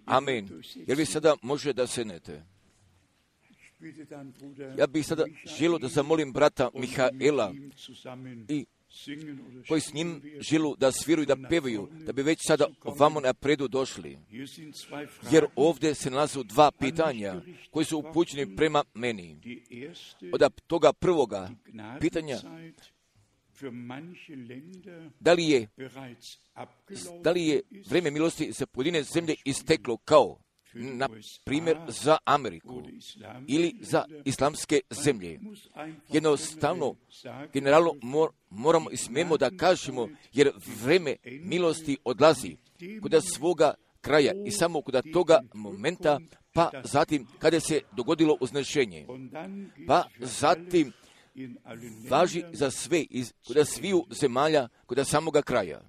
Amen. Jer vi sada može da sednete. Ja bih sada želio da zamolim brata Mihaela i koji s njim želu da sviruju, da pevaju, da bi već sada ovamo napredu došli. Jer ovdje se nalazu dva pitanja koji su upućeni prema meni. Od toga prvoga pitanja, da li je vrijeme milosti za pojedine zemlje isteklo kao, na primjer, za Ameriku ili za islamske zemlje. Jednostavno, generalno moramo i smijemo da kažemo, jer vrijeme milosti odlazi kod svoga kraja i samo kod toga momenta, pa zatim kada se dogodilo uznešenje, pa zatim važi za sve, kod sviju zemalja, kod samoga kraja.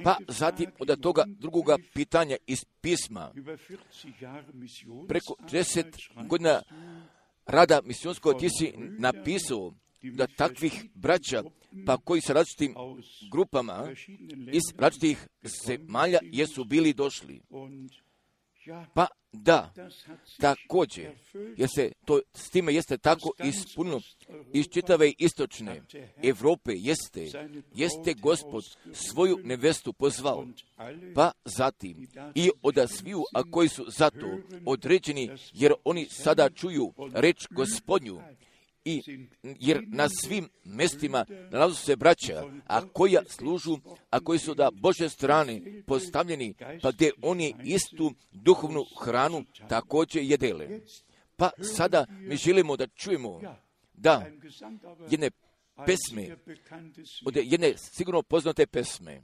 Pa zatim od toga drugoga pitanja iz pisma, preko 40 godina rada misionskog ti si napisao da takvih braća, pa koji sa različitim grupama iz različitih zemalja jesu bili došli. Pa da, također, jer se to s time jeste tako ispunilo iz čitave istočne Europe jeste Gospod svoju nevestu pozvao, pa zatim i od sviju, a koji su zato određeni, jer oni sada čuju reč Gospodnju, jer na svim mjestima nalazu se braća, a koja služu, a koji su da Božje strane postavljeni, pa gdje oni istu duhovnu hranu također jedele. Pa sada mi želimo da čujemo da jedne pesme, od jedne sigurno poznate pesme.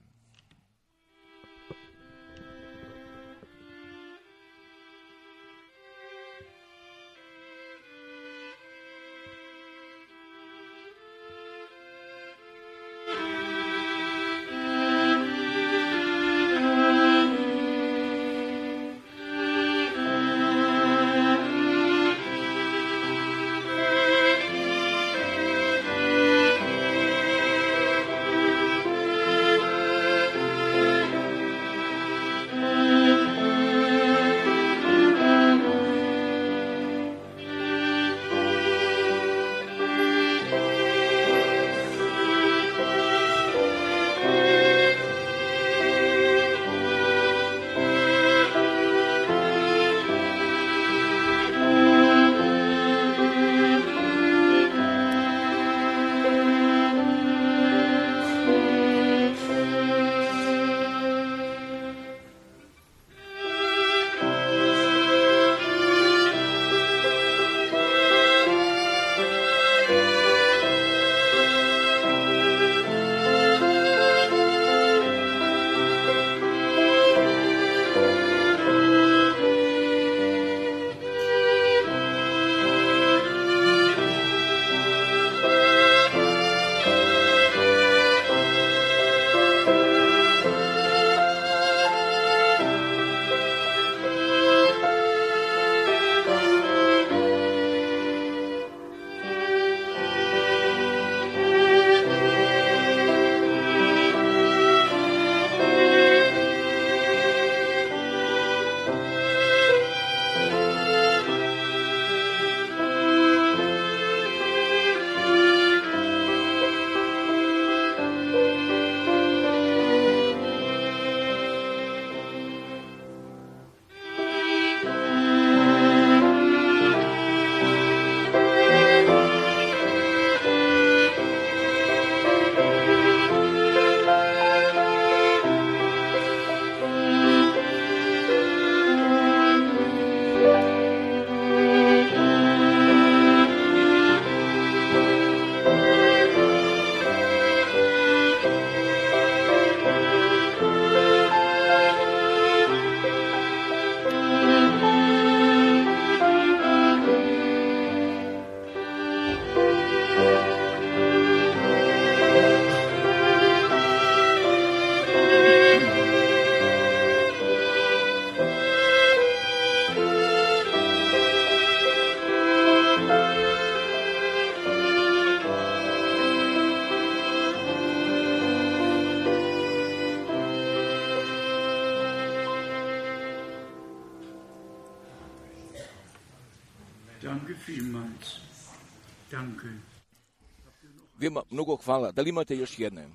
Veoma mnogo hvala. Da li imate još jedne?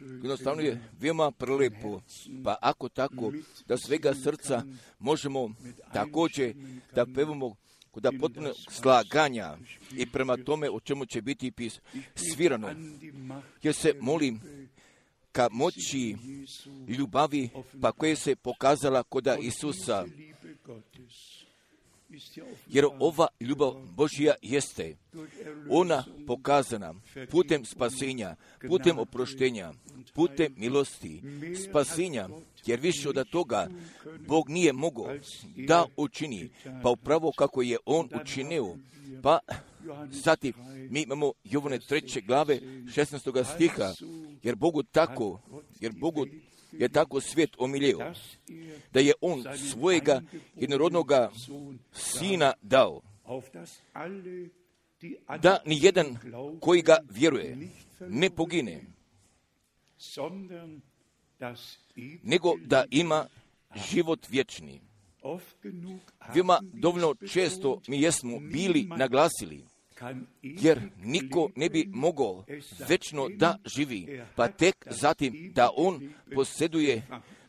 Jednostavno je veoma prelepo, pa ako tako, da svega srca možemo također da pevamo da potpuno slaganja i prema tome o čemu će biti svirano. Jer se molim ka moći ljubavi pa koje se pokazala kod Isusa. Jer ova ljubav Božja jeste ona pokazana putem spasenja, putem oproštenja, putem milosti, spasenja, jer više od toga Bog nije mogao da učini, pa upravo kako je On učinio. Pa zatim mi imamo Jovane 3. glave 16. stiha, jer Bogu je tako svijet omiljeo, da je On svojega jednorodnoga Sina dao, da nijedan koji ga vjeruje ne pogine, nego da ima život vječni. Veoma dovoljno često mi jesmo bili naglasili, jer niko ne bi mogao vječno da živi, pa tek zatim da on posjeduje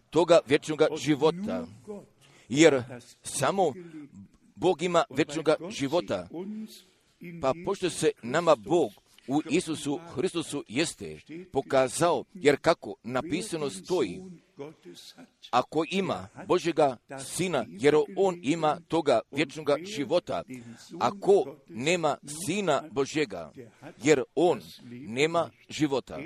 toga vječnog života, jer samo Bog ima vječnog života, pa pošto se nama Bog u Isusu Hristusu jeste pokazao, jer kako napisano stoji, ako ima Božjega Sina, jer on ima toga vječnog života, ako nema Sina Božjega, jer on nema života.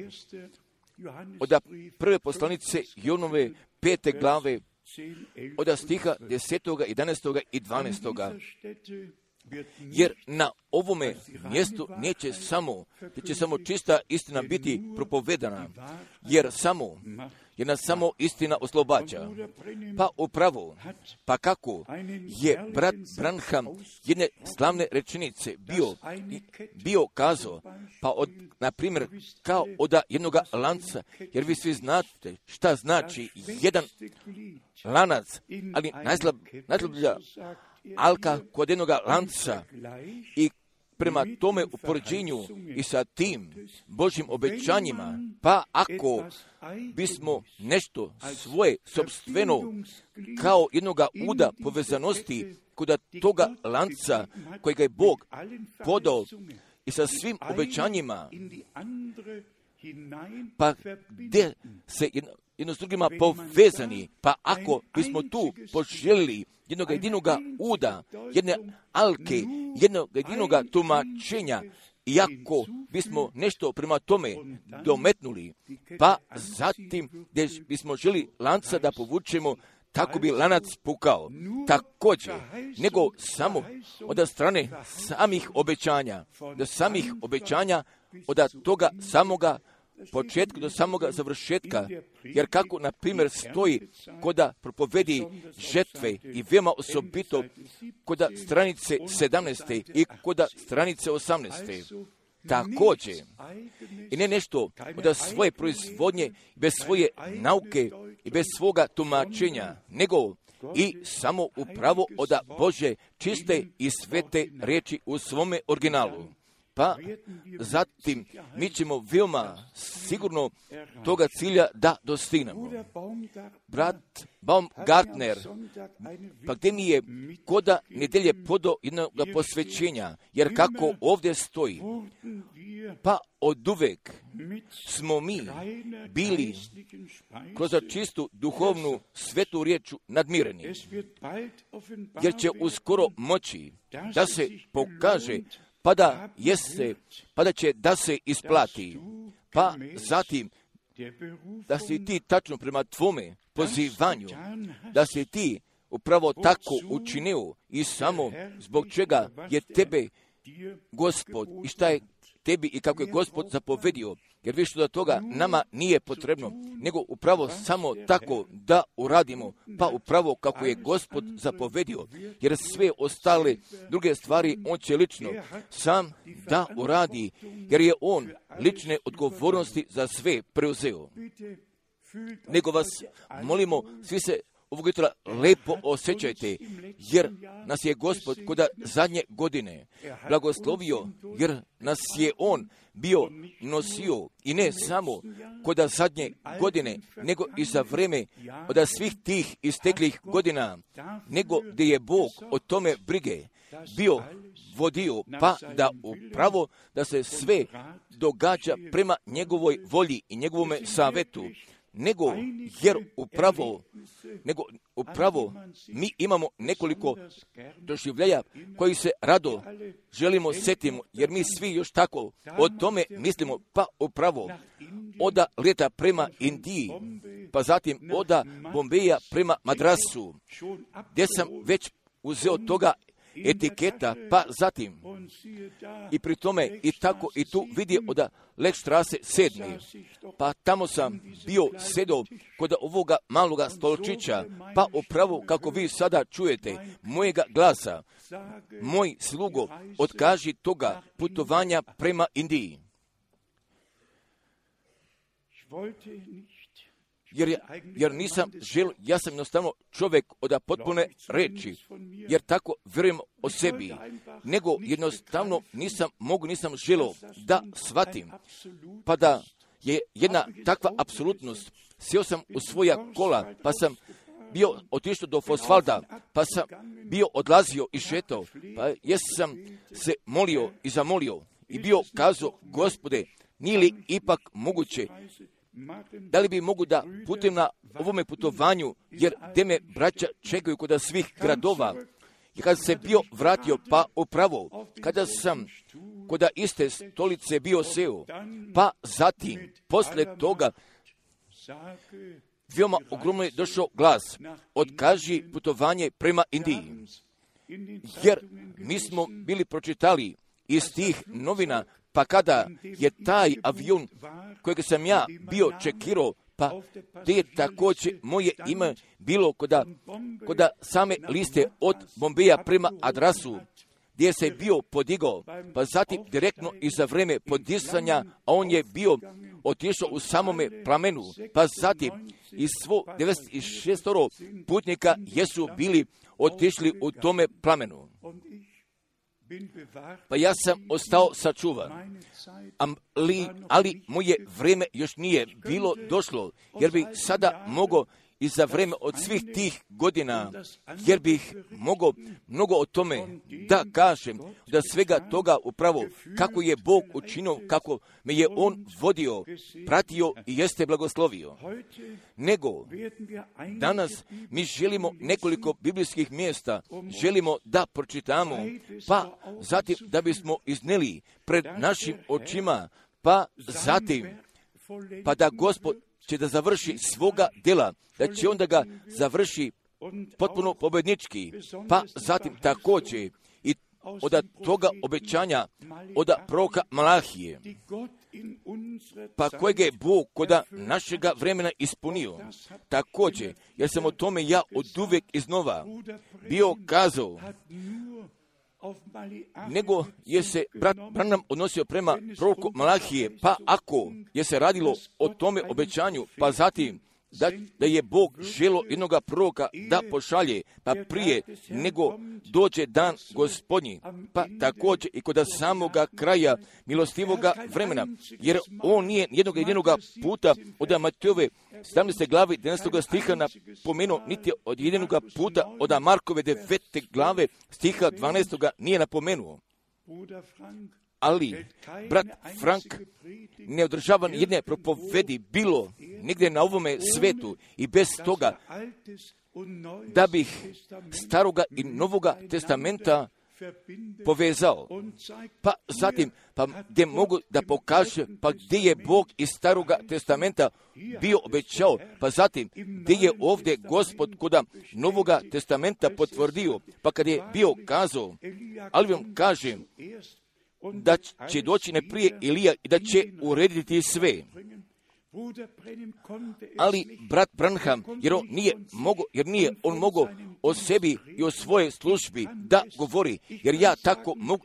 Od prve poslanice Jonove 5. glave, od stiha 10., 11. i 12. Jer na ovome mjestu neće samo čista istina biti propovedana, jer nas samo istina oslobađa. Pa upravo, pa kako je brat Branham jedne slavne rečenice bio kazao, pa na primjer, kao od jednog lanca, jer vi svi znate šta znači jedan lanac, ali najslablja alka kod jednog lanca i prema tome u poređenju i sa tim Božjim obećanjima, pa ako bismo nešto svoje sopstveno kao jednoga uda povezanosti kod toga lanca kojega je Bog podao i sa svim obećanjima, pa gdje se jedno s drugima povezani, pa ako bismo tu poželjeli jednog jedinoga uda, jedne alke, jednog jedinoga tumačenja, iako bismo nešto prema tome dometnuli, pa zatim gdje bismo želi lanca da povučemo, tako bi lanac pukao. Također, nego samo od strane samih obećanja, od toga samoga početka do samoga završetka, jer kako, na primjer, stoji koda propovedi žetve i veoma osobito koda stranice 17. i koda stranice 18. Također, i ne nešto od svoje proizvodnje, bez svoje nauke i bez svoga tumačenja, nego i samo upravo od Bože čiste i svete riječi u svome originalu. Pa zatim mi ćemo veoma sigurno toga cilja da dostignemo. Brat Baumgartner, pa gdje mi je koda nedelje podao jednog posvećenja, jer kako ovdje stoji, pa oduvek smo mi bili kroz čistu duhovnu svetu riječu nadmireni, jer će uskoro moći da se pokaže pa da će da se isplati, pa zatim da si ti tačno prema tvome pozivanju, da si ti upravo tako učinio i samo zbog čega je tebe Gospod i šta je tebi i kako je Gospod zapovedio, jer više do toga nama nije potrebno, nego upravo samo tako da uradimo, pa upravo kako je Gospod zapovedio, jer sve ostale druge stvari on će lično sam da uradi, jer je on lične odgovornosti za sve preuzeo. Nego vas molimo, svi se ovog jutra lepo osjećajte, jer nas je Gospod kod zadnje godine blagoslovio, jer nas je On bio nosio i ne samo kod zadnje godine, nego i za vreme od svih tih isteklih godina, nego gdje je Bog o tome brige bio vodio, pa da upravo da se sve događa prema njegovoj volji i njegovome savetu, nego upravo mi imamo nekoliko doživljaja koji se rado želimo setimo, jer mi svi još tako o tome mislimo, pa upravo oda leta prema Indiji, pa zatim oda Bombeja prema Madrasu, gdje sam već uzeo toga etiketa, pa zatim i pri tome i tako i tu vidio od Lekštrase 7. Pa tamo sam bio sedao kod ovoga maloga stolčića, pa upravo kako vi sada čujete mojega glasa, moj slugo, otkaži toga putovanja prema Indiji. Jer nisam želio, ja sam jednostavno čovjek od potpune reči, jer tako vjerujem o sebi, nego jednostavno nisam želio da shvatim, pa da je jedna takva apsolutnost. Sjeo sam u svoja kola, pa sam bio otišao do Fosvalda, pa sam bio odlazio i šetao, pa jesam se molio i zamolio i bio kazao, Gospode, nije li ipak moguće, da li bi mogu da putujem na ovome putovanju, jer gdje me braća čekaju kod svih gradova. I kada se bio vratio, pa upravo, kada sam kod iste stolice bio seo, pa zatim, posle toga, veoma ogromno je došao glas, otkaži putovanje prema Indiji. Jer mi smo bili pročitali iz tih novina, pa kada je taj avion kojeg sam ja bio čekirao, pa gdje je također moje ime bilo kod same liste od Bombeja prema Madrasu, gdje se bio podigao, pa zatim direktno iza vreme podisanja, a on je bio otišao u samome plamenu, pa zatim iz svo 96 putnika jesu bili otišli u tome plamenu. Pa ja sam ostao sačuvan, ali moje vrijeme još nije bilo došlo, jer bih sada mogao i za vrijeme od svih tih godina, jer bih mogao mnogo o tome da kažem, da svega toga upravo kako je Bog učinio, kako me je On vodio, pratio i jeste blagoslovio. Nego, danas mi želimo nekoliko biblijskih mjesta, želimo da pročitamo, pa zatim da bismo izneli pred našim očima, pa zatim, pa da Gospod će da završi svoga djela, da će onda ga završi potpuno pobjednički, pa zatim također i od toga obećanja od proroka Malahije, pa kojeg je Bog kod našega vremena ispunio. Također, jer sam o tome ja oduvijek iznova bio kazao, nego je se brat Branham odnosio prema proroku Malahije, pa ako je se radilo o tome obećanju, pa zatim da je Bog želio jednoga proroka da pošalje, pa prije nego dođe dan Gospodnji, pa također i kod samoga kraja milostivoga vremena, jer on nije jednoga puta od Matejove 17. glavi 11. stiha napomenuo, niti od jednoga puta od Markove 9. glave stiha 12. nije napomenuo. Ali brat Frank ne održava jedne propovedi bilo nigdje na ovome svetu i bez toga da bih staroga i novoga testamenta povezao. Pa zatim, pa gdje mogu da pokaže, pa gdje je Bog iz staroga testamenta bio obećao, pa zatim gdje je ovdje Gospod kod novoga testamenta potvrdio, pa kad je bio kazao, ali vam kažem, da će doći ne prije Ilija i da će urediti sve. Ali brat Branham, jer nije on mogao o sebi i o svojoj službi da govori, jer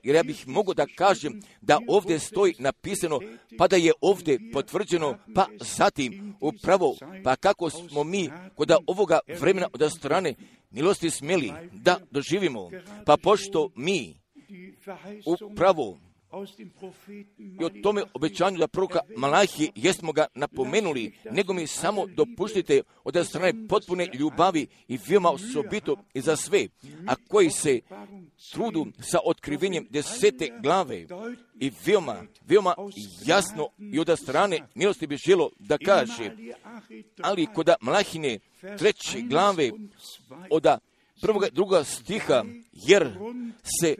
ja bih mogao da kažem da ovdje stoji napisano, pa da je ovdje potvrđeno, pa zatim upravo, pa kako smo mi kod ovoga vremena od strane milosti smjeli da doživimo, pa pošto mi upravo i o tome obećanju da proroka Malahije jesmo ga napomenuli, nego mi samo dopustite od strane potpune ljubavi i veoma osobito i za sve, a koji se trudu sa otkrivenjem 10. glave i veoma jasno i od strane milosti bi želo da kaže, ali kod Malahine 3. glave od 1. i 2. stiha, jer se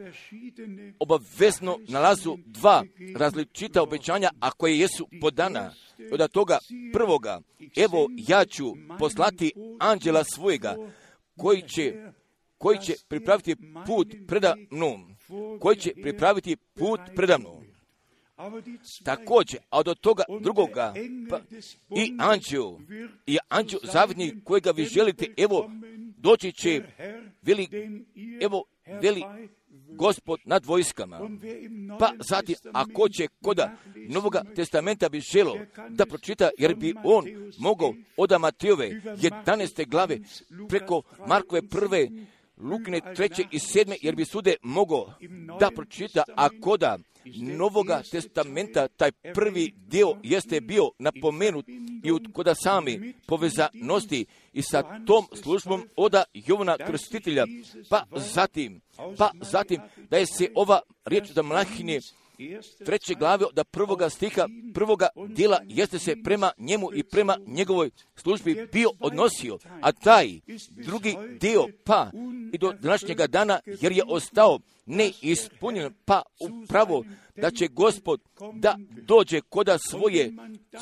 obavezno nalazu dva različita obećanja, a koje jesu podana. Od toga prvoga, evo ja ću poslati anđela svojega, koji će pripraviti put predamnom. Također, a od toga drugoga, i anđel zavidnik kojega vi želite, evo, doći će, veli Gospod nad vojskama. Pa zatim, ako će koda Novoga testamenta bi želo da pročita, jer bi on mogao od Matejove 11. glave preko Markove 1. Lukine 3. i 7. jer bi sude mogao da pročita, a koda Novoga testamenta taj prvi dio jeste bio napomenut i koda sami povezanosti i sa tom službom od Jovana Krstitelja, pa zatim da je se ova riječ za Malahije 3. glave od 1. stiha 1. dijela jeste se prema njemu i prema njegovoj službi bio odnosio, a taj drugi dio pa i do današnjega dana, jer je ostao neispunjen, pa upravo da će Gospod da dođe koda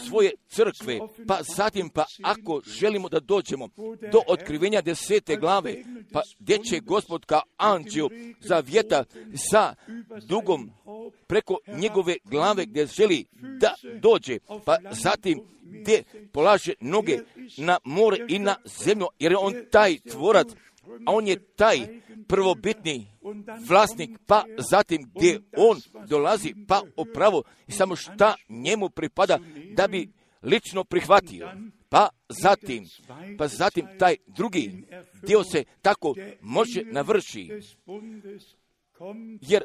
svoje crkve, pa zatim, pa ako želimo da dođemo do otkrivenja 10. glave, pa gdje će Gospod kao anđel zavjeta sa dugom preko njegove glave gdje želi da dođe, pa zatim gdje polaže noge na more i na zemlju, jer je on taj tvorac, a on je taj prvobitni vlasnik, pa zatim gdje on dolazi, pa upravo i samo šta njemu pripada da bi lično prihvatio. Pa zatim taj drugi dio se tako može navrši, jer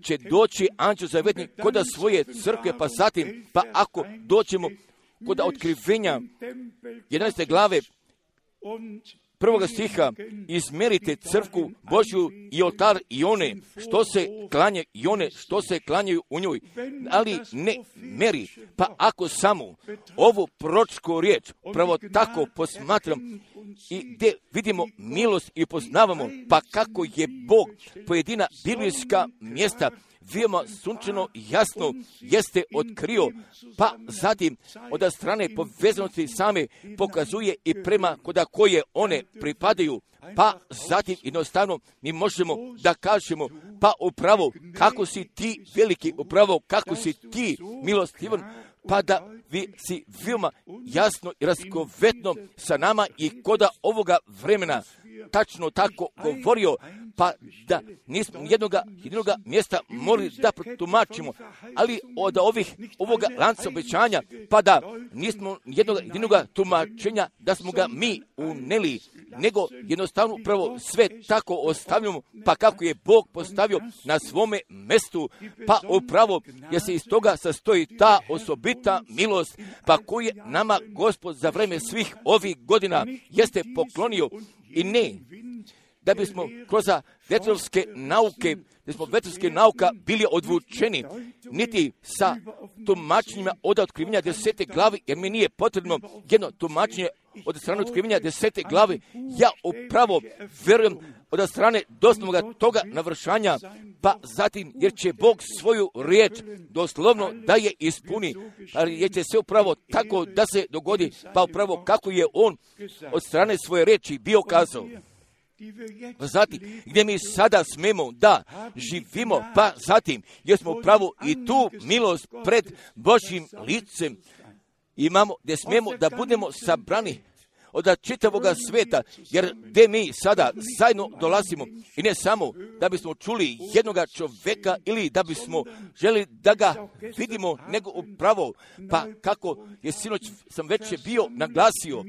će doći anđel zavetnik kod svoje crkve, pa zatim, pa ako doćemo kod otkrivenja 11. glave 1. stiha, izmerite crkvu Božju i oltar i one što se klanjaju u njoj, ali ne meri. Pa ako samo ovu proročku riječ pravo tako posmatram i gdje vidimo milost i poznavamo, pa kako je Bog pojedina biblijska mjesta veoma sunčano jasno jeste otkrio, pa zatim od strane povezanosti same pokazuje i prema koda koje one pripadaju, pa zatim jednostavno mi možemo da kažemo, pa upravo kako si ti veliki, upravo kako si ti milostivan, pa da vi si veoma jasno i raskovetno sa nama i koda ovoga vremena tačno tako govorio, pa da nismo jednoga mjesta morali da protumačimo, ali od ovoga lanca obećanja, pa da nismo jednoga tumačenja da smo ga mi uneli, nego jednostavno upravo sve tako ostavljamo, pa kako je Bog postavio na svome mjestu, pa upravo jer se iz toga sastoji ta osobita milost, pa koju je nama Gospod za vreme svih ovih godina jeste poklonio, i ne da bismo kroz vetrovske nauka bili odvučeni, niti sa tumačenjima od otkrivenja 10. glavi, jer mi nije potrebno jedno tumačenje od strane otkrivenja 10. glavi. Ja upravo verujem od strane doslovnoga toga navršanja, pa zatim jer će Bog svoju riječ doslovno da je ispuni, jer će se upravo tako da se dogodi, pa upravo kako je on od strane svoje riječi bio kazao. Zatim, gdje mi sada smemo da živimo, pa zatim, jer smo upravo i tu milost pred Božjim licem imamo, gdje smijemo da budemo sabrani od čitavoga sveta, jer gdje mi sada zajedno dolazimo i ne samo da bismo čuli jednoga čovjeka ili da bismo želi da ga vidimo, nego upravo, pa kako je sinoć sam već bio naglasio,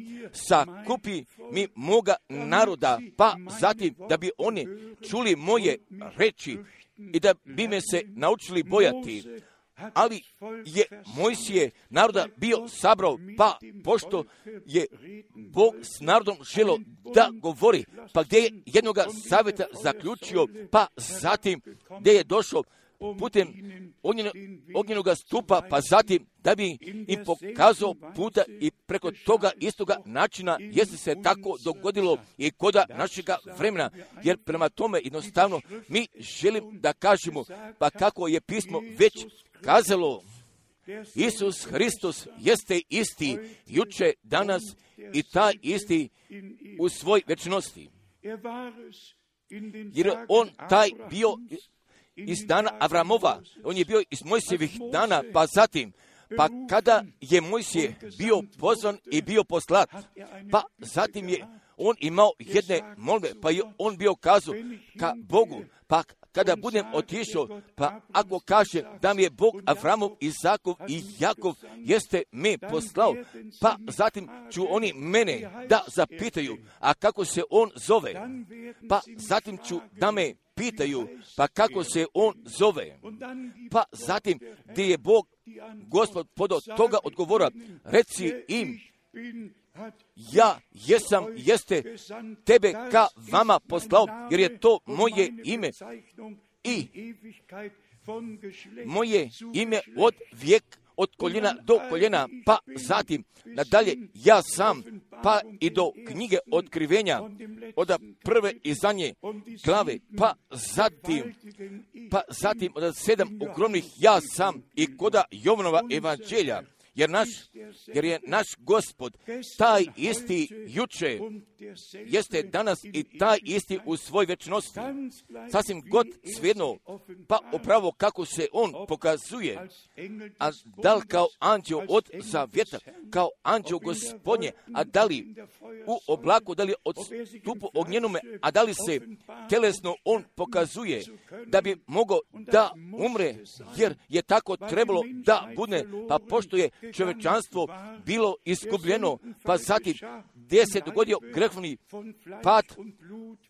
sakupi mi moga naroda, pa zatim da bi oni čuli moje reči i da bi me se naučili bojati. Ali je Mojsije naroda bio sabrao, pa pošto je Bog s narodom želio da govori, pa gdje je jednoga savjeta zaključio, pa zatim gdje je došao putem ognjenoga stupa, pa zatim da bi im pokazao puta i preko toga istoga načina jeste se tako dogodilo i koda našega vremena, jer prema tome jednostavno mi želim da kažemo, pa kako je pismo već kazalo, Isus Hristos jeste isti juče, danas i taj isti u svoj večnosti. Jer on taj bio iz dana Avramova, on je bio iz Mojsijevih dana, pa zatim, pa kada je Mojsije bio pozvan i bio poslat, pa zatim je on imao jedne molbe, pa je on bio kazao ka Bogu, pa kada budem otišao, pa ako kaže da mi je Bog Avramov, Izakov i Jakov jeste me poslao, pa zatim ću oni mene da zapitaju, a kako se on zove, pa zatim ću da me pitaju, pa kako se on zove, pa zatim gdje je Bog, Gospod podao toga odgovora, reci im, ja jesam, jeste tebe ka vama poslao, jer je to moje ime i moje ime od vijek, od koljena do koljena, pa zatim nadalje ja sam, pa i do knjige otkrivenja, od prve i zadnje glave, pa zatim od 7 ogromnih ja sam i koda Jovanova evanđelja. Jer je naš Gospod taj isti juče, jeste danas i taj isti u svoj večnosti. Sasvim god svejedno, pa upravo kako se on pokazuje, a da li kao anđeo od zavjeta, kao anđeo Gospodnje, a da li u oblaku, da li od stupu ognjenome, a da li se telesno on pokazuje, da bi mogao da umre, jer je tako trebalo da bude, pa pošto je čovječanstvo bilo iskupljeno, pa zatim gdje se dogodio grehovni pad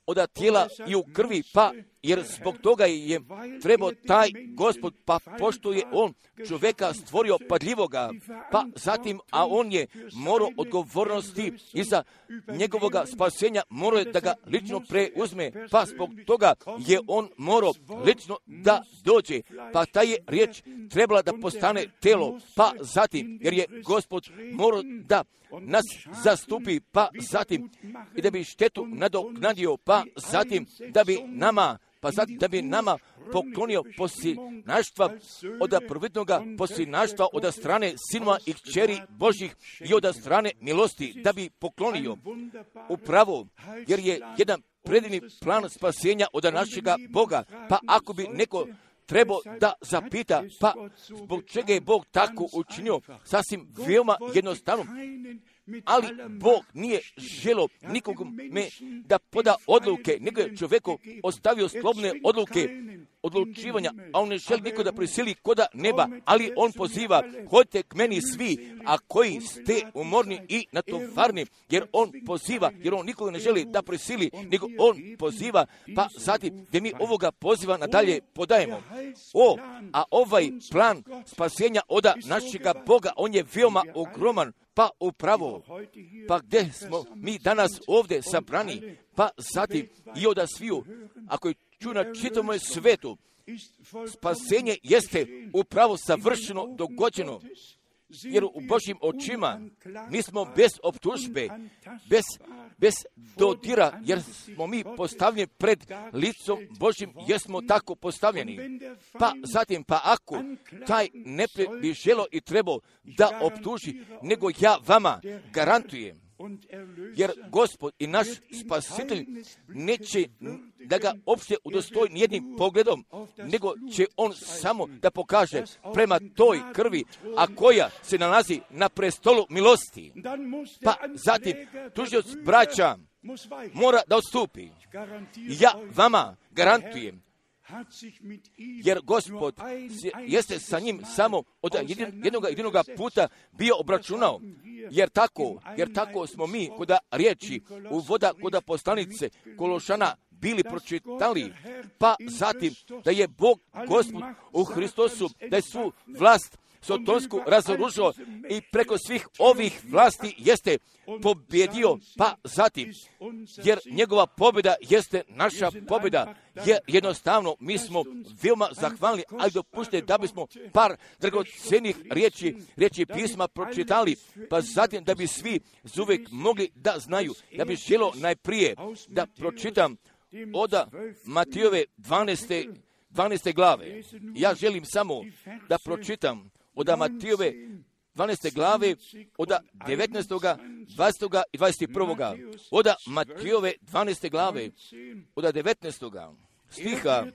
od tijela i u krvi, pa jer zbog toga je trebao taj Gospod, pa pošto je on čovjeka stvorio padljivoga, pa zatim, a on je morao odgovornosti iza njegovoga spasenja, morao je da ga lično preuzme, pa zbog toga je on morao lično da dođe, pa ta je riječ trebala da postane telo, pa zatim, jer je Gospod morao da nas zastupi, pa zatim i da bi štetu nadoknadio, pa zatim da bi nama poklonio posljednaštva od prvotnoga posljednaštva od strane sinova i kćeri Božih i od strane milosti, da bi poklonio upravo, jer je jedan predivni plan spasenja od našega Boga, pa ako bi neko trebao da zapita, pa zbog čega je Bog tako učinio, sasvim veoma jednostavno, ali Bog nije želio nikome da poda odluke, nego je čovjeku ostavio slobodne odluke odlučivanja, a on ne želi niko da prisili koda neba, ali on poziva, hodite k meni svi, a koji ste umorni i natovarni, jer on poziva, jer on nikoga ne želi da prisili, nego on poziva, pa zatim gdje mi ovoga poziva nadalje podajemo. A ovaj plan spasenja od našega Boga, on je veoma ogroman, pa upravo, pa gdje smo mi danas ovdje sabrani, pa zatim i od sviju, ako je ču na čitavom svetu, spasenje jeste upravo savršeno dogođeno, jer u Božjim očima mi smo bez optužbe, bez dodira, jer smo mi postavljeni pred licom Božjim, jer smo tako postavljeni. Pa zatim, pa ako taj neprijatelj bi želio i trebao da optuži, nego ja vama garantujem, jer Gospod i naš Spasitelj neće da ga opšte udostoji nijednim pogledom, nego će on samo da pokaže prema toj krvi, a koja se nalazi na prestolu milosti. Pa zatim tužioc braća mora da odstupi. Ja vama garantujem, jer Gospod jeste sa njim samo od jednoga puta bio obračunao, jer tako smo mi koda riječi u voda koda poslanice Kološana bili pročitali, pa zatim da je Bog Gospod u Hristosu, da je svu vlast sotonsku razoružao i preko svih ovih vlasti jeste pobjedio, pa zatim, jer njegova pobjeda jeste naša pobjeda, jer jednostavno mi smo veoma zahvalni, ali dopušte da bismo par dragocenih riječi pisma pročitali, pa zatim da bi svi uvijek mogli da znaju. Ja bih želio najprije da pročitam od Matijove 12. glave. Ja želim samo da pročitam od Matijove 12. glave, od 19. 20. i 21. Od Matijove 12. glave, od 19. stiha,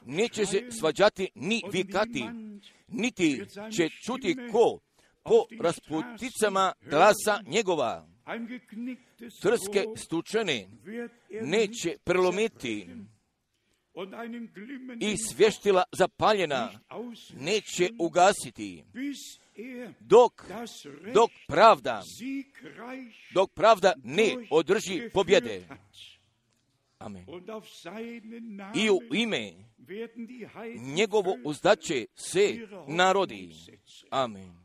neće se svađati ni vikati, niti će čuti ko po rasputicama glasa njegova. Trske stučene neće prelomiti i svještila zapaljena neće ugasiti, dok pravda ne održi pobjede. Amen. I u ime njegovo uzdaće se narodi. Amen.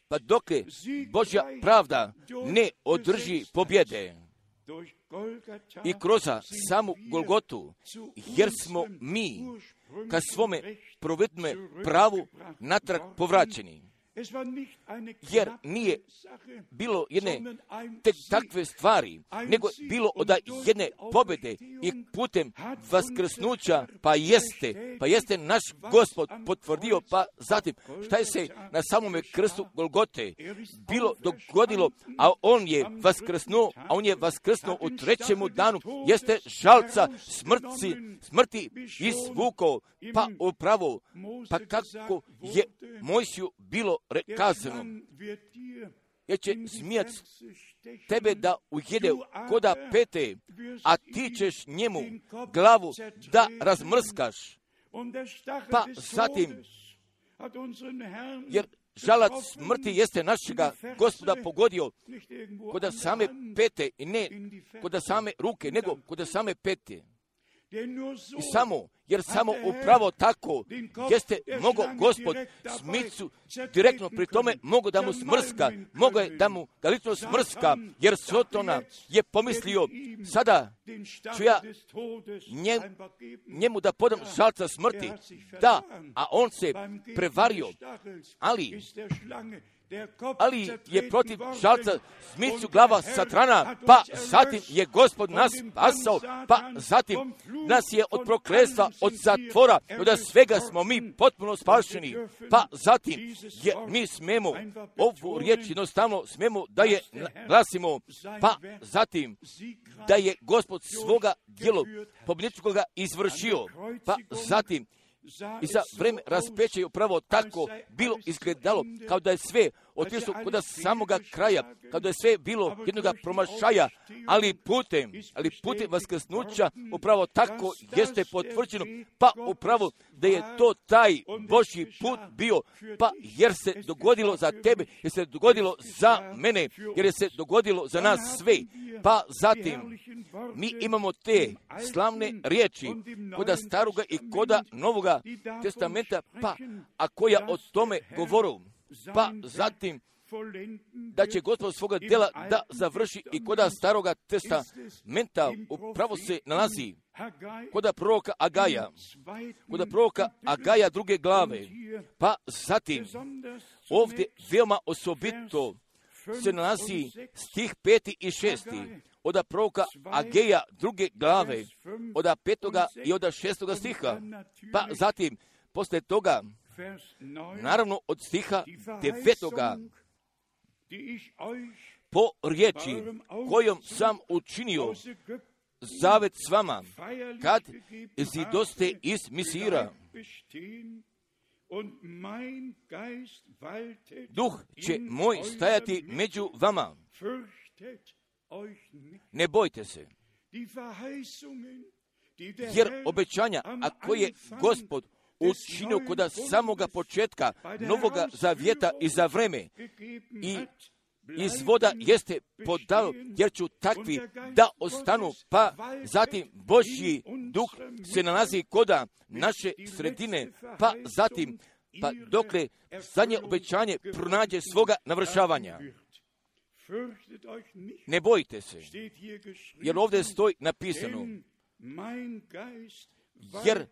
Pa dokle Božja pravda ne održi pobjede i kroz samu Golgotu, jer smo mi ka svome prvotnome pravu natrag povraćeni. Jer nije bilo jedne tek takve stvari, nego bilo od jedne pobjede i putem vaskrsnuća, pa jeste naš Gospod potvrdio, pa zatim šta je se na samome krstu Golgote bilo dogodilo, a on je vaskrsnuo u trećemu danu, jeste žalca smrti izvukao, pa upravo, pa kako je Mojsiju bilo kazano, jer će zmijac tebe da ujede koda pete, a ti ćeš njemu glavu da razmrskaš. Pa zatim, jer žalac smrti jeste našega Gospoda pogodio koda same pete i ne koda same ruke, nego koda same pete. I jer samo upravo tako jeste mogo Gospod smicu direktno pri tome mogo da mu smrska, mogo je da mu ga lično smrska, jer Sotona je pomislio, sada ću ja njemu da podam žalca smrti, da, a on se prevario, ali je protiv žalca smicu glava satrana, pa zatim je Gospod nas spasao, pa zatim nas je od prokletstva, od zatvora, od svega smo mi potpuno spašeni, pa zatim mi smemo ovu riječ jednostavno smemo da je glasimo, pa zatim da je Gospod svoga djelo pobjedničkoga izvršio, pa zatim i za vreme raspeća je upravo tako bilo izgledalo, kao da je sve otišlo kod samoga kraja, kao da je sve bilo jednoga promašaja, ali putem vaskrsnuća upravo tako jeste potvrđeno, pa upravo da je to taj Božji put bio, pa jer se dogodilo za tebe, jer se dogodilo za mene, jer je se dogodilo za nas sve. Pa zatim mi imamo te slavne riječi koda staroga i koda novoga testamenta, pa a koja o tome govoru, pa zatim da će Gospod svoga djela da završi i koda staroga testamenta upravo se nalazi koda proroka Agaja 2. glave, pa zatim ovdje veoma osobito se nalazi stih 5. i 6. od proroka Ageja 2. glave, od 5. i od 6. stiha, pa zatim posle toga, naravno od stiha 9. po riječi kojom sam učinio zavet s vama, kad izidoste iz Misira. Duh će moj stajati među vama. Ne bojte se, jer obećanja, a koje Gospod učinio kod samoga početka Novoga Zavjeta i za vreme i iz voda jeste podao, jer ću takvi da ostanu, pa zatim Božji duh se nalazi koda naše sredine, pa zatim, pa dokle zadnje obećanje pronađe svoga navršavanja. Ne bojte se, jer ovdje stoji napisano, jer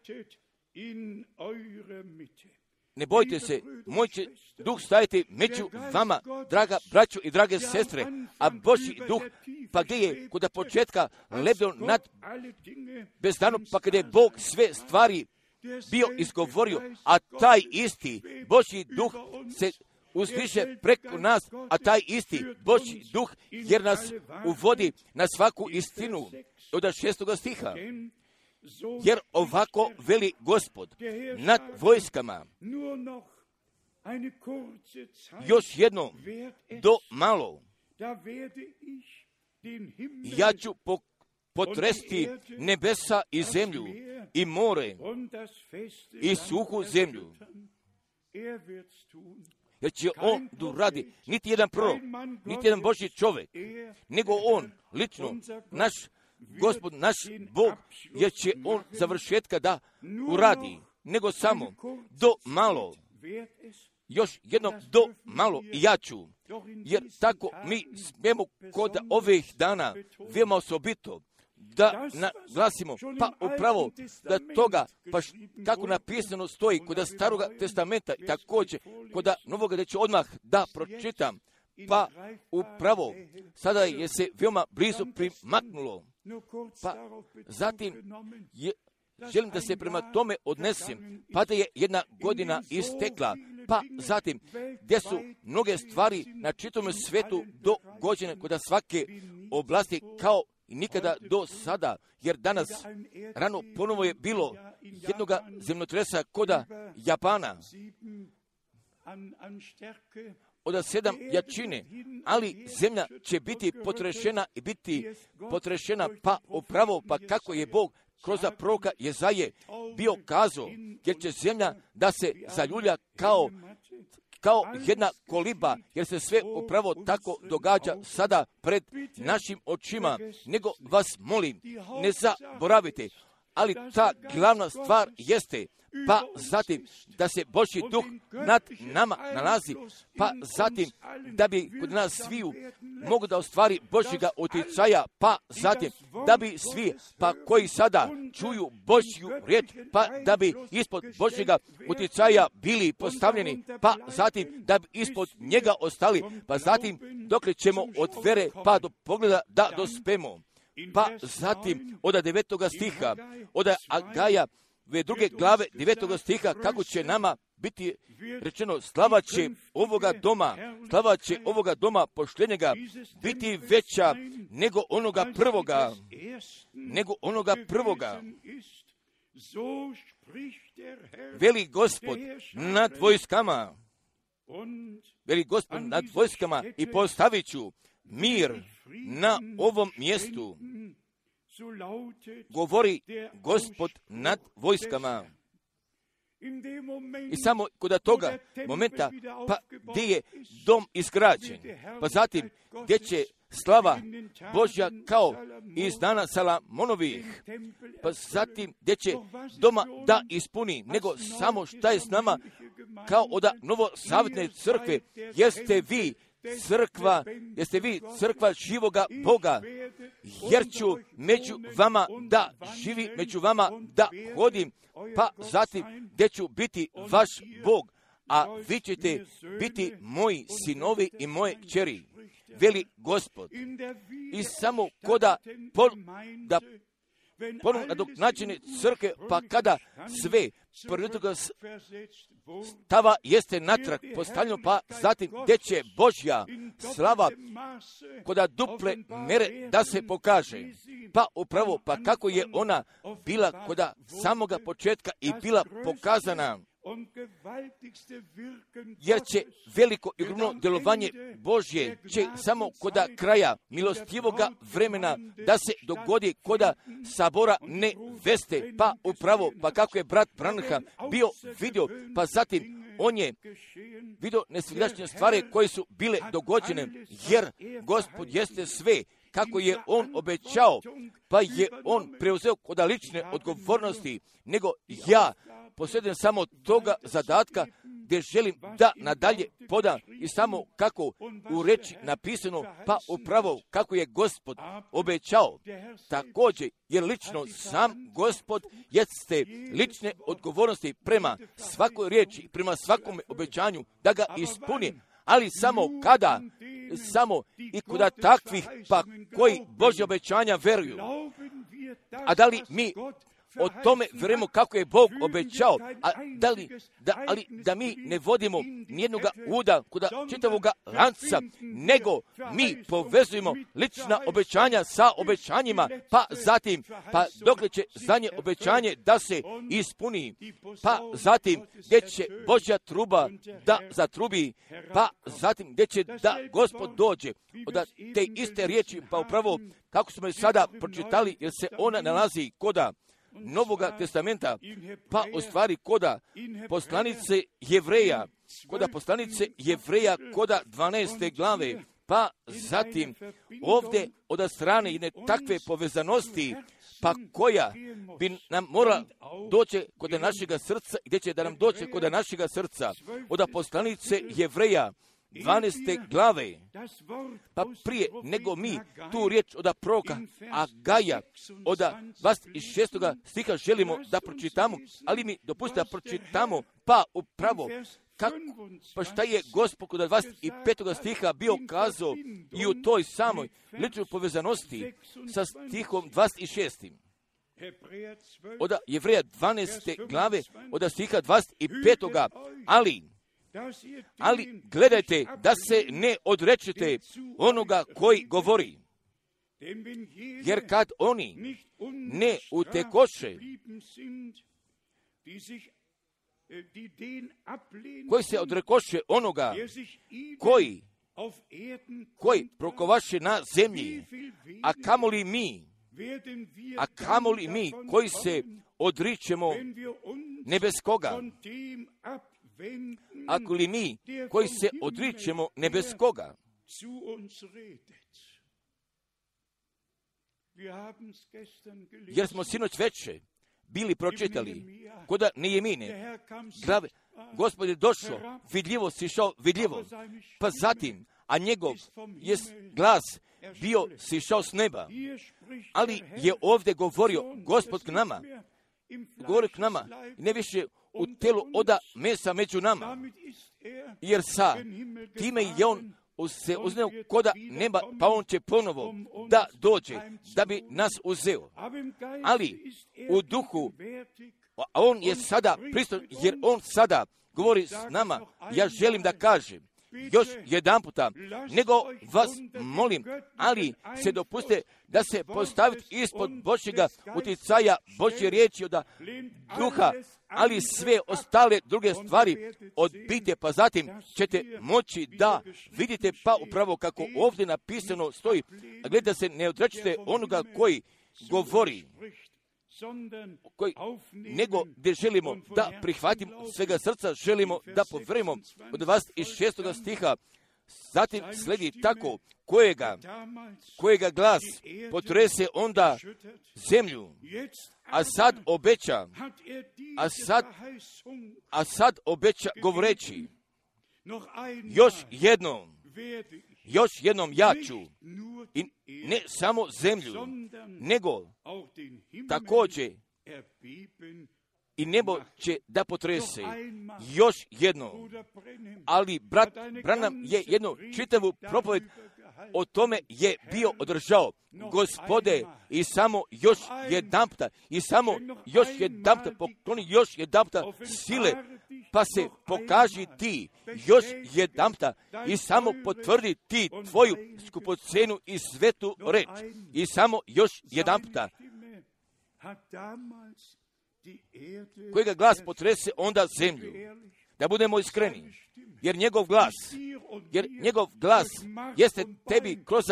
ne bojte se, moj će duh stajati među vama, draga braćo i drage sestre, a Božji duh, pa gdje je kod početka lebdeo nad bezdanom, pa kada je Bog sve stvari bio izgovorio, a taj isti Božji duh se uzdiže preko nas, a taj isti Božji duh, jer nas uvodi na svaku istinu od 6. stiha. Jer ovako veli Gospod nad vojskama, još jedno do malo, ja ću potresti nebesa i zemlju i more i suhu zemlju. Jer će on radi niti jedan prorok, niti jedan Božji čovjek, nego on lično, naš Gospod, naš Bog, jer će on završetka da uradi, nego samo do malo, još jednom do malo i ja ću, jer tako mi smijemo kod ovih dana veoma osobito da naglasimo, pa upravo da toga, pa kako napisano stoji kod Staroga testamenta, također kod Novoga, da ću odmah da pročitam, pa upravo sada je se veoma blizu primaknulo. Pa zatim želim da se prema tome odnesem, pa da je jedna godina istekla, pa zatim gdje su mnoge stvari na čitavom svijetu dogođene kod svake oblasti kao i nikada do sada, jer danas rano ponovo je bilo jednoga zemljotresa kod Japana od 7 jačine, ali zemlja će biti potrešena i biti potrešena, pa upravo, pa kako je Bog kroz proroka Jezaje bio kazao, jer će zemlja da se zaljulja kao jedna koliba, jer se sve upravo tako događa sada pred našim očima, nego vas molim, ne zaboravite, ali ta glavna stvar jeste, pa zatim da se Božji duh nad nama nalazi, pa zatim da bi kod nas sviju mogu da ostvari Božjega utjecaja, pa zatim da bi svi, pa koji sada čuju Božju riječ, pa da bi ispod Božjega utjecaja bili postavljeni, pa zatim da bi ispod njega ostali, pa zatim dokle ćemo od vere pa do pogleda da dospemo. Pa zatim od 9. stiha, od Agaja, 2. glave 9. stiha, kako će nama biti rečeno, slava će ovoga doma poštenjega biti veća nego onoga prvoga. Veli Gospod nad vojskama i postavit ću mir na ovom mjestu, govori Gospod nad vojskama. I samo kod toga momenta, pa gdje je dom izgrađen, pa zatim gdje će slava Božja kao iz dana Salamonovih, pa zatim gdje će doma da ispuni, nego samo šta je s nama kao od novosavjetne crkve, jeste vi crkva živoga Boga, jer ću među vama da živi, među vama da hodim, pa zatim gdje ću biti vaš Bog, a vi ćete biti moji sinovi i moje kćeri, veli Gospod. I samo koda ponovno nadoknađene crkve, pa kada sve prvetoga stava jeste natrag postavljeno, pa zatim gdje će Božja slava koda duple mere da se pokaže. Pa upravo, pa kako je ona bila koda samoga početka i bila pokazana, jer će veliko i ogromno djelovanje Božje će samo koda kraja milostivoga vremena da se dogodi koda sabora neveste. Pa upravo, pa kako je brat Branham bio vidio, pa zatim on je vidio nesvjedočne stvari koje su bile dogođene, jer Gospod jeste sve kako je on obećao, pa je on preuzeo koda lične odgovornosti, nego ja posjedujem samo toga zadatka gdje želim da nadalje podam i samo kako u reči napisano, pa upravo kako je Gospod obećao. Također, jer lično sam Gospod jeste lične odgovornosti prema svakoj riječi, prema svakom obećanju da ga ispuni, ali samo kada, samo i koda takvih pa koji Božje obećanja veruju. A da li mi o tome vjerujemo kako je Bog obećao, ali da mi ne vodimo nijednoga uda kod čitavoga lanca, nego mi povezujemo lična obećanja sa obećanjima, pa zatim, pa dokle će zadnje obećanje da se ispuni, pa zatim gdje će Božja truba da zatrubi, pa zatim gdje će da Gospod dođe. Od te iste riječi, pa upravo kako smo je sada pročitali, jer se ona nalazi koda Novoga testamenta, pa u stvari koda poslanice Jevreja, koda 12. glave, pa zatim ovdje od strane jedne takve povezanosti, pa koja bi nam morala doći kod našega srca, gdje će da nam doći kod našega srca, od poslanice Jevreja 12. glave, pa prije nego mi tu riječ od proroka Agaja od 26. stiha želimo da pročitamo, ali mi dopustite da pročitamo, pa upravo pa šta je Gospod kod 25. stiha bio kazao i u toj samoj ličnoj povezanosti sa stihom 26. Od Jevreja 12. glave od stiha 25. Ali gledajte da se ne odrečete onoga koji govori, jer kad oni ne utekoše, koji se odrekoše onoga koji prokovaše na zemlji, a kamoli mi koji se odričemo nebeskoga, ako li mi koji se odričemo nebeskoga. Jer smo sinoć veče bili pročitali koda Nehemije glave, Gospod je došao, vidljivo sišao, vidljivo, pa zatim, a njegov je glas bio sišao s neba, ali je ovdje govorio Gospod k nama, ne više u telu oda mesa među nama, jer sa time je on se uzneo koda neba, pa on će ponovo da dođe, da bi nas uzeo. Ali u duhu, a on je sada pristojan, jer on sada govori s nama, ja želim da kažem, još jedan puta, nego vas molim, ali se dopuste da se postavite ispod Božjega utjecaja Božje riječi od duha, ali sve ostale druge stvari odbijte, pa zatim ćete moći da vidite, pa upravo kako ovdje napisano stoji, a gleda se ne odrećete onoga koji govori, nego gdje želimo da prihvatimo svega srca, želimo da povremo od 26. stiha, zatim sledi tako kojega glas potrese onda zemlju, a sad obeća govoreći, još jednom ja ću, i ne samo zemlju, nego također i nebo će da potrese još jedno. Ali brat Branham je jednu čitavu propoved o tome je bio održao. Gospode, i samo još jedanputa, i samo još jedanputa pokloni još jedanputa sile, pa se pokaži ti još jedanputa i samo potvrdi ti tvoju skupocenu i svetu reč. I samo još jedanputa. Kojega glas potrese onda zemlju. Da budemo iskreni. Jer njegov glas jeste tebi kroz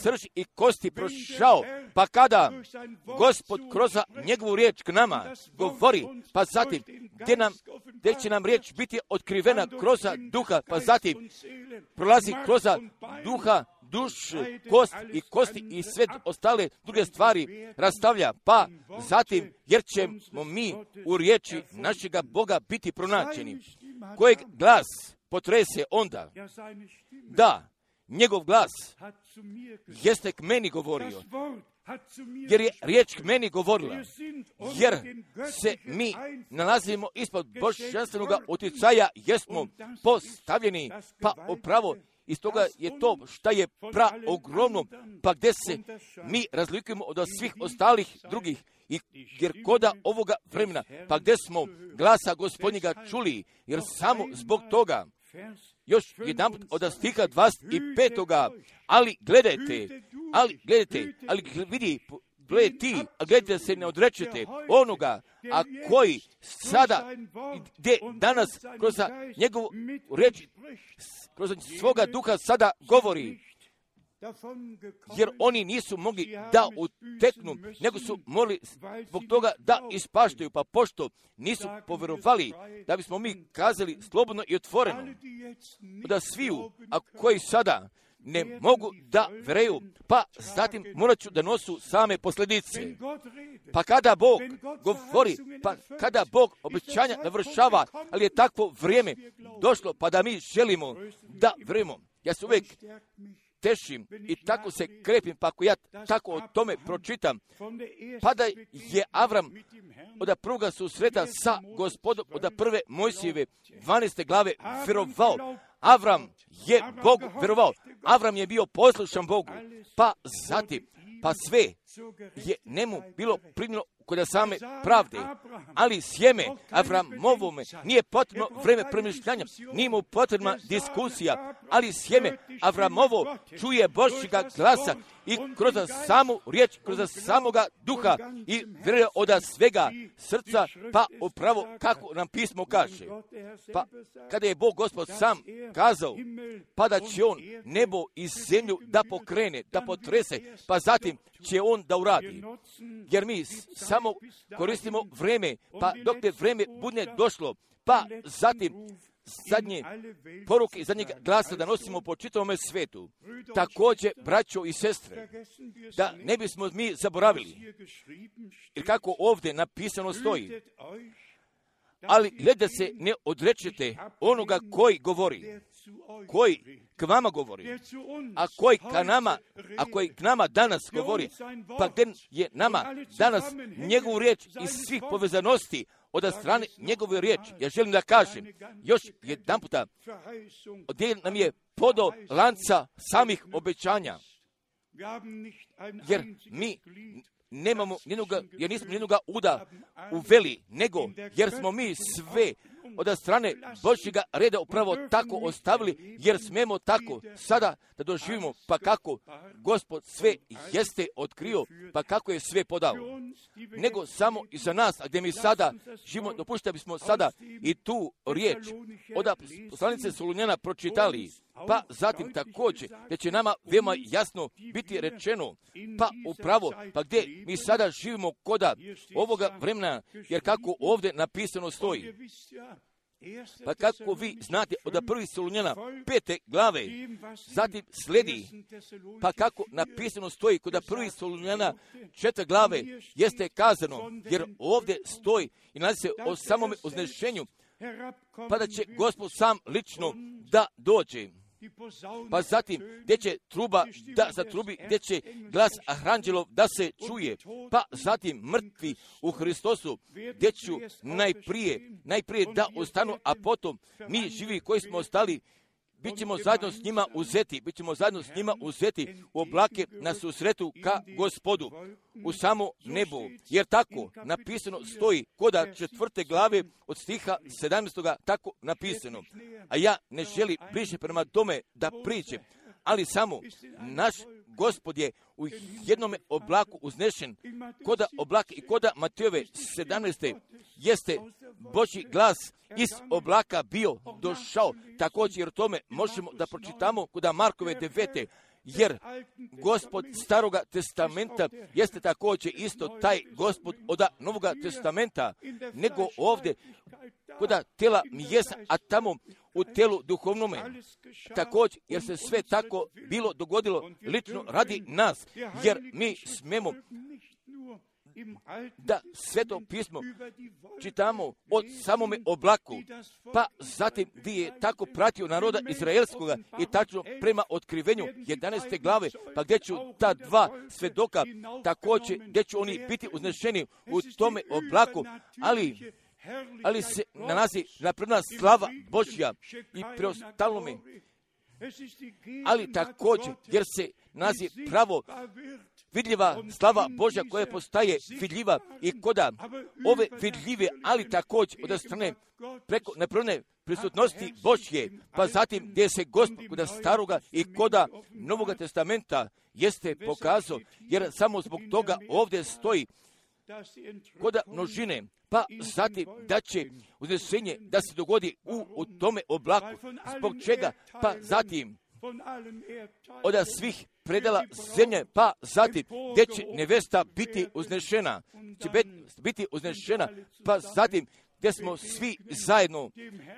srž i kosti prošao, pa kada Gospod kroz njegovu riječ k nama govori, pa zatim gdje će nam riječ biti otkrivena kroz duha, pa zatim prolazi kroz duha, dušu, kosti i sve ostale druge stvari rastavlja, pa zatim jer ćemo mi u riječi našega Boga biti pronađeni. Kojeg glas potrese onda? Da, njegov glas jeste k meni govorio, jer je riječ k meni govorila, jer se mi nalazimo ispod božanstvenog utjecaja, jesmo postavljeni, pa upravo iz toga je to šta je ogromno, pa gdje se mi razlikujemo od svih ostalih drugih, jer koda ovoga vremena, pa gdje smo glasa Gospodnjega čuli, jer samo zbog toga, još jedan put od stiha 25. ali gledajte, gledajte da se ne odrečete onoga, a koji sada, gdje danas kroz njegovu reč, kroz svoga duha sada govori, jer oni nisu mogli da uteknu, nego su morali zbog toga da ispaštaju, pa pošto nisu povjerovali, da bismo mi kazali slobodno i otvoreno, da sviju, a koji sada ne mogu da veruju, pa zatim morat ću da nosu same posljedice. Pa kada Bog govori, pa kada Bog obećanja navršava, ali je takvo vrijeme došlo, pa da mi želimo da verujemo. Ja se uvijek tešim i tako se krepim, pa ako ja tako o tome pročitam, pa da je Avram od prvoga susreta sa Gospodom, od prve Mojsijeve 12. glave verovao. Avram je Bogu verovao. Avram je bio poslušan Bogu. Pa zatim, pa sve je njemu bilo primljeno kod same pravde. Ali sjeme Avramovome nije potrebno vreme premišljanja, nije mu potrebna diskusija, ali sjeme Avramovo čuje Božjega glasa i kroz samu riječ, kroz samoga duha i vjeruje od svega srca, pa upravo kako nam pismo kaže. Pa kada je Bog Gospod sam kazao, pa da će on nebo i zemlju da pokrene, da potrese, pa zatim će on da uradi. Jer mi samo koristimo vreme, pa dok te vreme bude došlo, pa zatim zadnje poruke i zadnjeg glasa da nosimo po čitavome svetu. Također, braćo i sestre, da ne bismo mi zaboravili, jer kako ovdje napisano stoji, ali gleda se ne odrečete onoga koji govori, koji k vama govori, a koji k nama danas govori, pa gdje je nama danas njegovu riječ iz svih povezanosti od strane njegove riječi. Ja želim da kažem još jedan puta, gdje nam je podo lanca samih obećanja, jer mi nemamo jer nismo nijednoga uda uveli, nego jer smo mi sve od strane Božjega reda upravo tako ostavili, jer smemo tako sada da doživimo, pa kako Gospod sve jeste otkrio, pa kako je sve podao. Nego samo i za nas, a gdje mi sada živimo, dopušta bismo sada i tu riječ od poslanice Solunjana pročitali, pa zatim također da će nama veoma jasno biti rečeno, pa upravo, pa gdje mi sada živimo koda ovoga vremena, jer kako ovdje napisano stoji. Pa kako vi znate od prvi Solunjana 5. glave, zatim sledi, pa kako napisano stoji kod prvi Solunjana 4. glave, jeste kazano, jer ovdje stoji i nalazi se o samome uznešenju, pa da će Gospod sam lično da dođe. Pa zatim, gdje će truba da zatrubi, gdje će glas aranđelov da se čuje, pa zatim mrtvi u Hristosu, gdje ću najprije da ostanu, a potom mi živi koji smo ostali, bit ćemo zajedno s njima uzeti u oblake na susretu ka Gospodu u samo nebu, jer tako napisano stoji koda 4. glave od stiha 17. tako napisano. A ja ne želim bliže prema tome da priđem, ali samo naš Gospod je u jednome oblaku uznešen, koda oblaka i koda Matejove 17. jeste Božji glas iz oblaka bio došao. Također jer tome možemo da pročitamo koda Markove 9. Jer Gospod Staroga testamenta jeste također isto taj Gospod od Novoga testamenta, nego ovdje koda tela mjesa, a tamo u telu duhovnome. Također, jer se sve tako bilo dogodilo lično radi nas, jer mi smemo da Sveto pismo čitamo od samome oblaku, pa zatim gdje je tako pratio naroda Izraelskoga i tačno prema otkrivenju 11. glave, pa gdje ću ta dva svedoka također, gdje će oni biti uznešeni u tome oblaku, ali se nalazi napredna slava Božja i preostalome, ali također jer se nalazi pravo vidljiva slava Božja koja postaje vidljiva i koda ove vidljive, ali također od strane preko neprve prisutnosti Božje, pa zatim gdje se Gospod koda Staroga i koda Novoga testamenta jeste pokazao, jer samo zbog toga ovdje stoji koda množine, pa zatim da će uznešenje da se dogodi u tome oblaku. Zbog čega? Pa zatim od svih predala zemlje, pa zatim gdje će nevesta biti uznešena, pa zatim gdje smo svi zajedno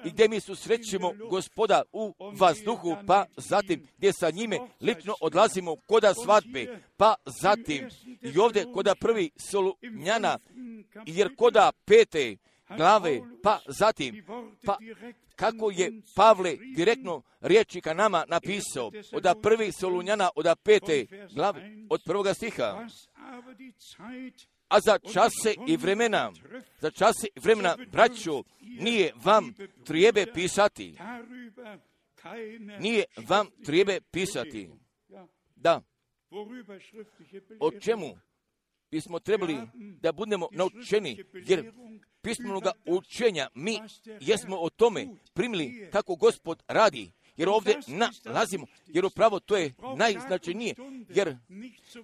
i gdje mi susrećemo Gospoda u vazduhu, pa zatim gdje sa njime lično odlazimo koda svadbe, pa zatim i ovdje koda prvi Solunjana, jer koda 5. glave, pa zatim, pa kako je Pavle direktno riječi ka nama napisao, od prvi Solunjana, od 5. glave, od 1. stiha. A za čase i vremena, braćo, nije vam trijebe pisati. Da. O čemu bismo trebali da budemo naučeni, jer pismenoga učenja mi jesmo o tome primili kako Gospod radi, jer ovdje nalazimo, jer upravo to je najznačajnije, jer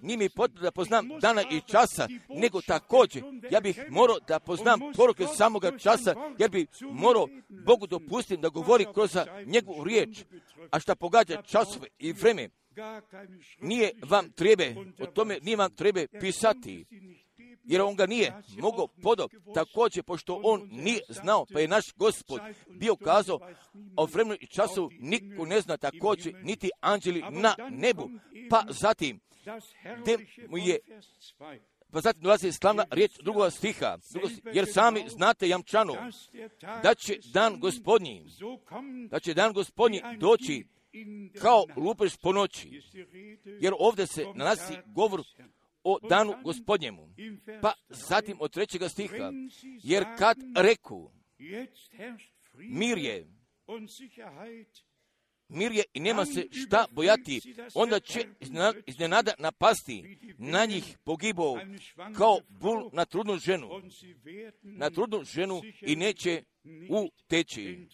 nije mi potrebno da poznam dana i časa, nego također ja bih morao da poznam poruke samoga časa, jer bi morao Bogu dopustiti da govori kroz njegovu riječ, a šta pogađa časove i vreme, nije vam treba pisati, jer on ga nije mogao podop, također pošto on nije znao, pa je naš Gospod bio kazao o vremenu i času niko ne zna, također niti anđeli na nebu, pa zatim dolazi slavna riječ 2. stiha, jer sami znate jamčano da će dan gospodnji doći kao lupež po noći, jer ovdje se nalazi govor o danu gospodnjemu. Pa zatim od 3. stiha, jer kad reku mir je i nema se šta bojati, onda će iznenada napasti na njih pogibao kao bul na trudnu ženu i neće uteći.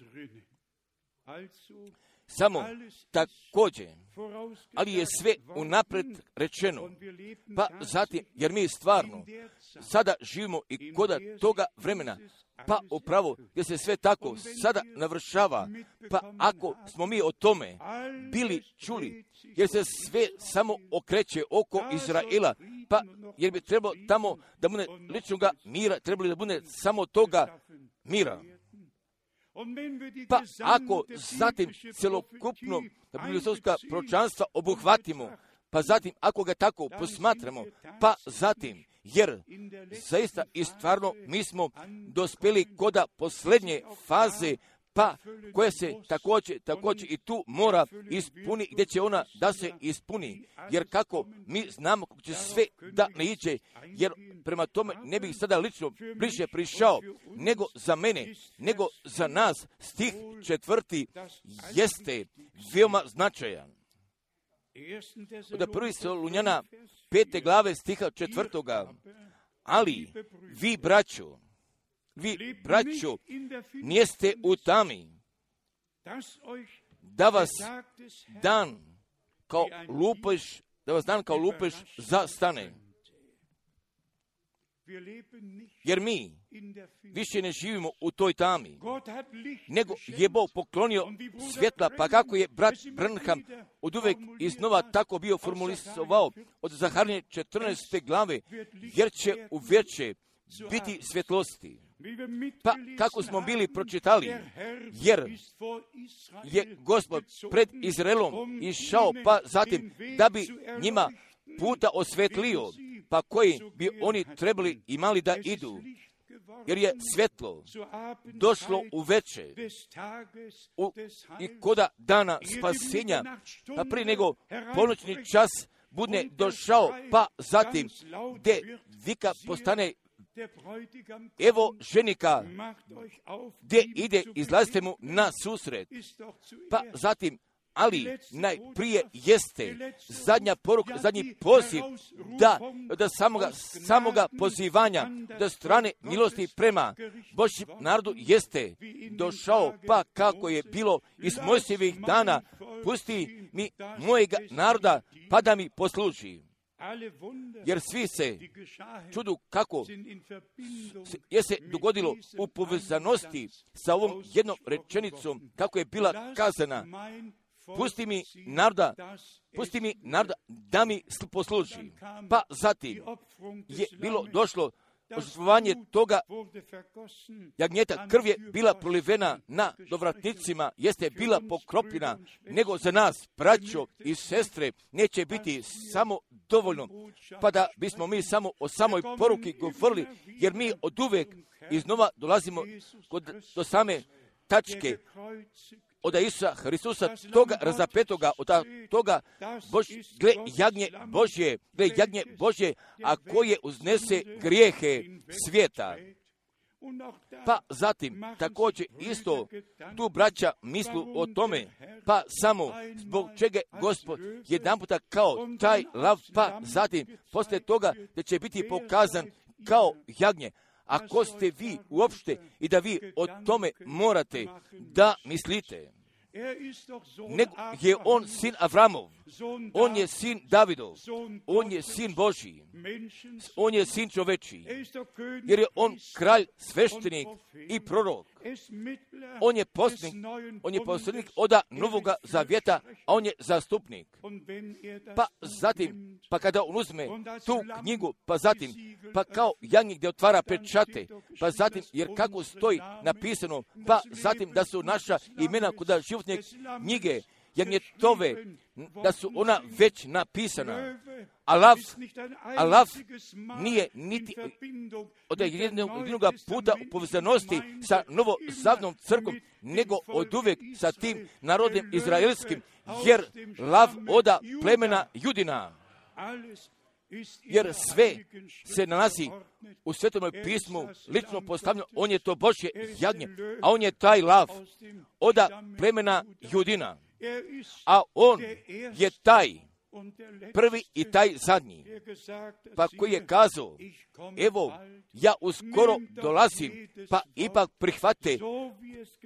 Samo također, ali je sve unapred rečeno, pa zatim, jer mi stvarno sada živimo i koda toga vremena, pa upravo gdje se sve tako sada navršava, pa ako smo mi o tome bili čuli, jer se sve samo okreće oko Izraela, pa jer bi trebalo tamo da bude ličnoga mira, trebali da bude samo toga mira. Pa ako zatim celokupno biblijska proročanstva obuhvatimo, pa zatim ako ga tako posmatramo, pa zatim, jer zaista i stvarno mi smo dospjeli koda posljednje faze, pa koja se također i tu mora ispuni, gdje će ona da se ispuni, jer kako mi znamo kako će sve da ne iđe, jer prema tome ne bih sada lično bliže prišao, nego za mene, nego za nas, stih 4. jeste veoma značajan. Od 1. Solunjana 5. glave stiha 4. Ali vi, braćo, nijeste u tami, da vas dan kao lupež zastane. Jer mi više ne živimo u toj tami, nego je Bog poklonio svjetla, pa kako je brat Branham oduvek iznova tako bio formulisovao od Zaharije 14. glave, jer će u večer biti svjetlosti. Pa kako smo bili pročitali, jer je Gospod pred Izraelom išao, pa zatim da bi njima puta osvetlio, pa koji bi oni trebali imali da idu, jer je svjetlo došlo u večer i koda dana spasenja, pa prije nego ponoćni čas bude došao, pa zatim gdje vika postane evo ženika, gdje ide, izlazite mu na susret, pa zatim, ali najprije jeste zadnja poruka, zadnji poziv da samoga pozivanja, da strane milosti prema Božjem narodu jeste došao, pa kako je bilo iz Mojsijevih dana, pusti mi mojega naroda, pa da mi posluži. Jer svi se čudu kako je se dogodilo u povezanosti sa ovom jednom rečenicom, kako je bila kazana, pusti mi naroda da mi posluži. Pa zatim je bilo došlo žrtvovanje toga jagnjeta, krv je bila prolivena na dovratnicima, jeste bila pokropljena, nego za nas, braćo i sestre, neće biti samo dovoljno, pa da bismo mi samo o samoj poruki govorili, jer mi oduvek iznova dolazimo do same tačke, od Isusa Hristusa, toga razapetoga, od toga gle jagnje Božje, a koje uznese grijehe svijeta. Pa zatim, također isto, tu braća mislu o tome, pa samo zbog čega Gospod jedanputa kao taj lav, pa zatim, poslije toga da će biti pokazan kao jagnje. Ako ste vi uopšte i da vi o tome morate da mislite, nego je on sin Avramov, on je sin Davidov, on je sin Božji, on je sin čovečiji, jer je on kralj, sveštenik i prorok. On je poslanik od Novoga Zavjeta, a on je zastupnik. Pa zatim, pa kada on uzme tu knjigu, pa zatim, pa kao jagnjeg gdje otvara pečate, pa zatim, jer kako stoji napisano, pa zatim da su naša imena kod životne knjige jagnjetove, da su ona već napisana. A lav nije niti od jednog puta u povezanosti sa novozavnom crkom, nego od uvijek sa tim narodom izraelskim, jer lav oda plemena Judina. Jer sve se nalazi u Svetom pismu lično postavljeno, on je to Božje jagnje, a on je taj lav oda plemena Judina, a on je taj prvi i taj zadnji, pa koji je kazao, evo, ja uskoro dolazim, pa ipak prihvate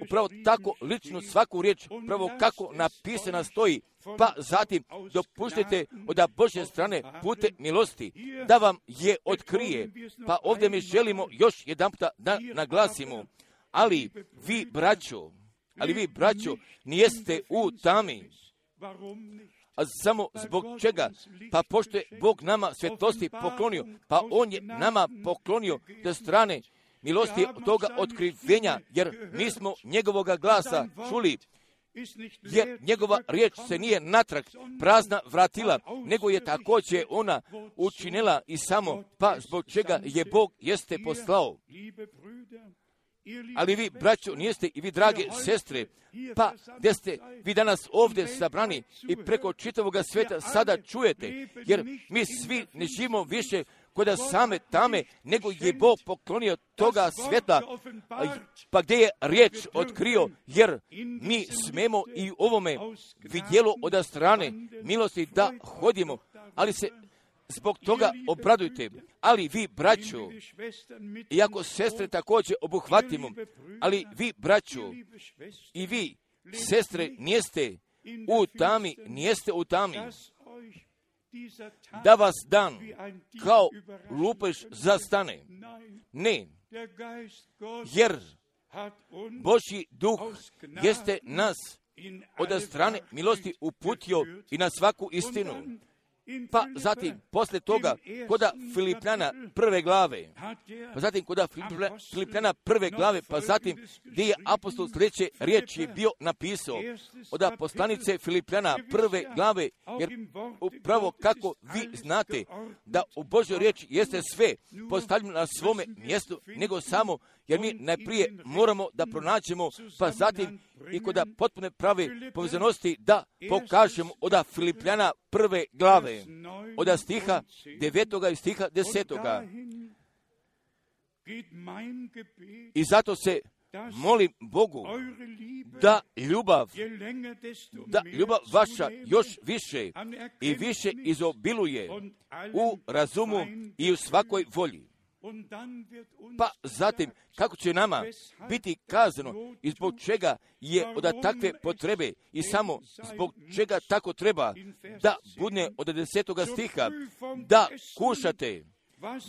upravo tako lično svaku riječ, upravo kako napisana stoji, pa zatim dopuštite od Božje strane pute milosti, da vam je otkrije. Pa ovdje mi želimo još jedanputa da naglasimo, ali vi, braćo, nijeste u tami. A samo zbog čega? Pa pošto je Bog nama svjetlosti poklonio, pa on je nama poklonio do strane milosti toga otkrivenja, jer mi smo njegovoga glasa čuli, jer njegova riječ se nije natrag prazna vratila, nego je također ona učinila i samo, pa zbog čega je Bog jeste poslao. Ali vi, braćo, nijeste i vi, drage sestre, pa gdje ste vi danas ovdje sabrani i preko čitavoga sveta sada čujete, jer mi svi ne živimo više kod same tame, nego je Bog poklonio toga svjetla, pa gdje je riječ otkrio, jer mi smemo i u ovome vidjelo od strane milosti da hodimo, ali se zbog toga obradujte. Ali vi, braćo, iako sestre također obuhvatimo, ali vi, braćo, i vi, sestre, nijeste u tami, da vas dan kao lupež zastane. Ne, jer Božji duh jeste nas od strane milosti uputio i na svaku istinu. Pa zatim, poslije toga, koda Filipljana prve glave, pa zatim, gdje je apostol sljedeće riječi je bio napisao od poslanice Filipljana prve glave, jer upravo kako vi znate da u Božjoj riječi jeste sve postavljeno na svome mjestu, nego samo, jer mi najprije moramo da pronađemo, pa zatim i kod potpune prave povezanosti da pokažemo od Filipljana prve glave, od stiha 9. i stiha 10. I zato se molim Bogu da ljubav vaša još više i više izobiluje u razumu i u svakoj volji. Pa zatim, kako će nama biti kazano i zbog čega je od takve potrebe i samo zbog čega tako treba da bude od 10. stiha,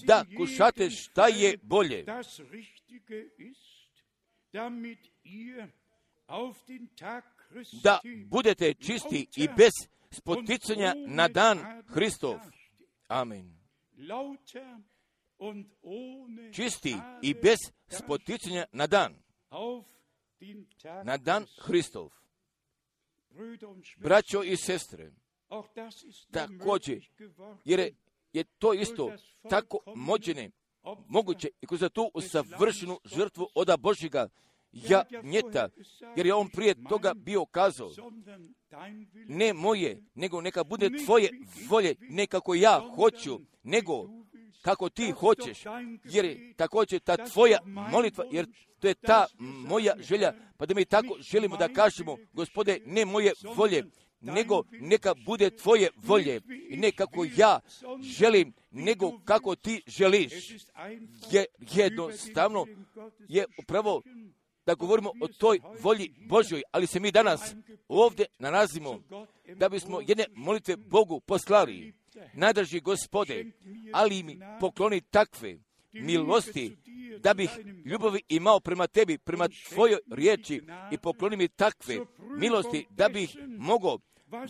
da kušate šta je bolje, da budete čisti i bez spoticanja na dan Hristov. Amen. Čisti i bez spoticanja na dan Hristov. Braćo i sestre, također, jer je to isto tako moguće i kroz tu savršenu žrtvu od Božjega jagnjeta, jer je on prije toga bio kazao, ne moje, nego neka bude tvoje volje, ne kako ja hoću, nego kako ti hoćeš, jer je također ta tvoja molitva, jer to je ta moja želja, pa da mi tako želimo da kažemo, Gospode, ne moje volje, nego neka bude tvoje volje, i ne kako ja želim, nego kako ti želiš. Jednostavno je upravo da govorimo o toj volji Božjoj, ali se mi danas ovdje nalazimo da bismo jedne molitve Bogu poslali. Najdraži Gospode, ali mi pokloni takve milosti da bih ljubavi imao prema tebi, prema tvojoj riječi, i pokloni mi takve milosti da bih mogao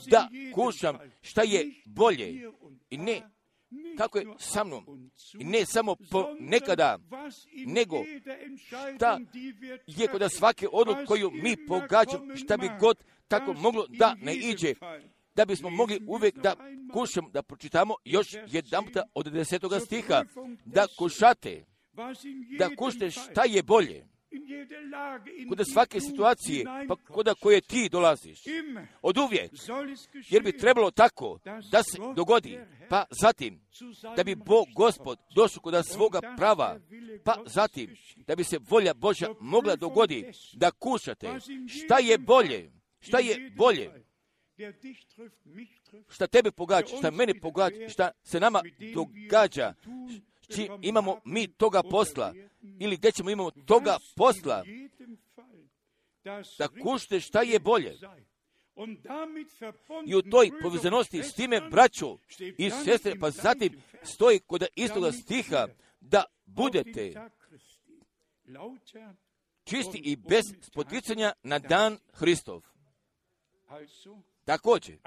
da kušam šta je bolje i ne kako je sa mnom, i ne samo ponekada, nego šta je kod svake odluke koju mi pogađamo, šta bi god tako moglo da ne iđe, da bismo mogli uvijek da kušamo, da pročitamo još jedan puta od 10. stiha, da kušate šta je bolje, kod svake situacije, pa kod koje ti dolaziš, od uvijek, jer bi trebalo tako da se dogodi, pa zatim, da bi Bog Gospod došao kod svoga prava, pa zatim, da bi se volja Božja mogla dogodi, da kušate šta je bolje, šta tebe pogađa, šta mene pogađa, šta se nama događa, imamo mi toga posla, ili gdje ćemo imamo toga posla, da kušate šta je bolje. I u toj povezanosti s time, braćo i sestre, pa zatim stoji kod istoga stiha, da budete čisti i bez spoticanja na dan Hristov. Također,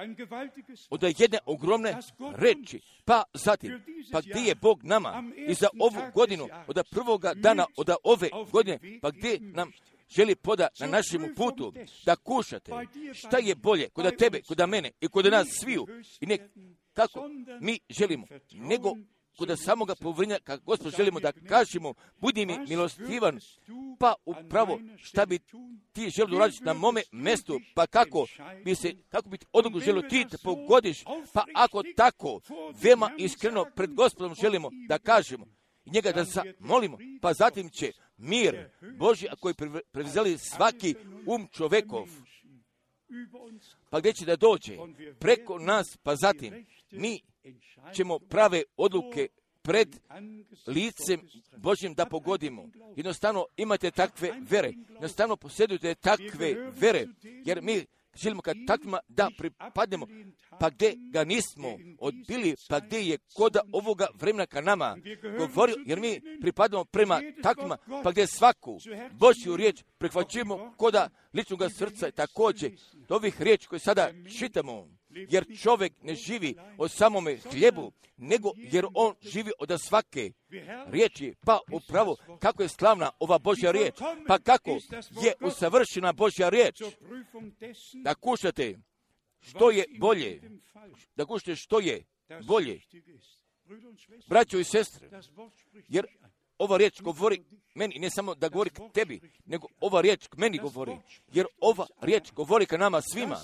od jedne ogromne reči, pa zatim, pa gdje je Bog nama i za ovu godinu, od prvoga dana od ove godine, pa gdje nam želi poda na našem putu, da kušate šta je bolje kod tebe, kod mene i kod nas sviju, i ne kako mi želimo, nego kod samoga povrinja, kako Gospod želimo da kažemo, budi mi milostivan, pa upravo šta bi ti želio uraditi na mome mjestu, pa kako bi ti odluku želio ti da pogodiš, pa ako tako, veoma iskreno pred Gospodom želimo da kažemo, i njega da zamolimo, pa zatim će mir Božji, a koji prevzeli svaki čovekov, pa gdje će da dođe preko nas, pa zatim mi ćemo prave odluke pred licem Božjim da pogodimo. Jednostavno imate takve vere, jednostavno posjedujete takve vere, jer mi želimo kad takvima da pripadnemo, pa gdje ga nismo odbili, pa gdje je koda ovoga vremena ka nama govorio, jer mi pripadamo prema takvima, pa gdje svaku Božju riječ prihvaćujemo koda ličnog srca i također ovih riječi koje sada čitamo, jer čovjek ne živi od samome hljebu, nego jer on živi od svake riječi. Pa upravo kako je slavna ova Božja riječ, pa kako je usavršena Božja riječ. Da kušate što je bolje, da kušate što je bolje, braćo i sestre, jer ova riječ govori meni, ne samo da govori k tebi, nego ova riječ k meni govori, jer ova riječ govori ka nama svima,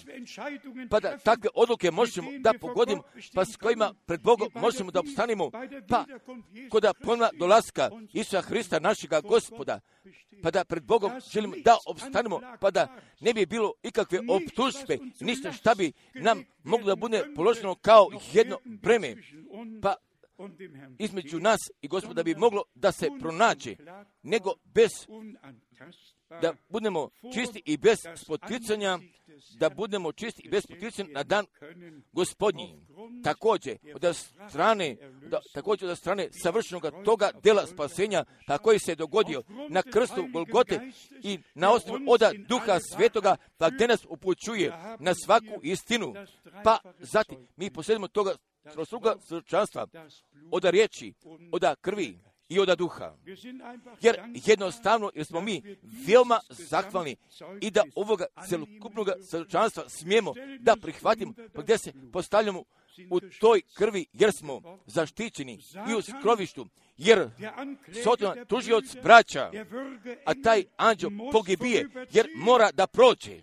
pa da takve odluke možemo da pogodimo, pa s kojima pred Bogom možemo da opstanimo, pa kod ponovna dolaska Isusa Hrista, našega Gospoda, pa da pred Bogom želimo da opstanemo, pa da ne bi bilo ikakve optužbe, ništa šta bi nam moglo da bude položeno kao jedno breme, pa između nas i Gospoda bi moglo da se pronađe, nego bez da budemo čisti i bez spoticanja, da budemo čisti i bez spoticanja na dan Gospodnji. Također od strane savršenog toga dela spasenja, pa koji se dogodio na krstu Golgote i na osnovu od Duha Svetoga, pa gdje nas upućuje na svaku istinu, pa zatim mi posjedimo toga trostruga svjedočanstva od riječi, od krvi i od duha. Jer jednostavno, jer smo mi veoma zahvalni i da ovoga celokupnog svjedočanstva smijemo da prihvatimo, pa gdje se postavljamo u toj krvi, jer smo zaštićeni i u skrovištu, jer Sotan tužioc braća, a taj anđeo pogibije, jer mora da prođe.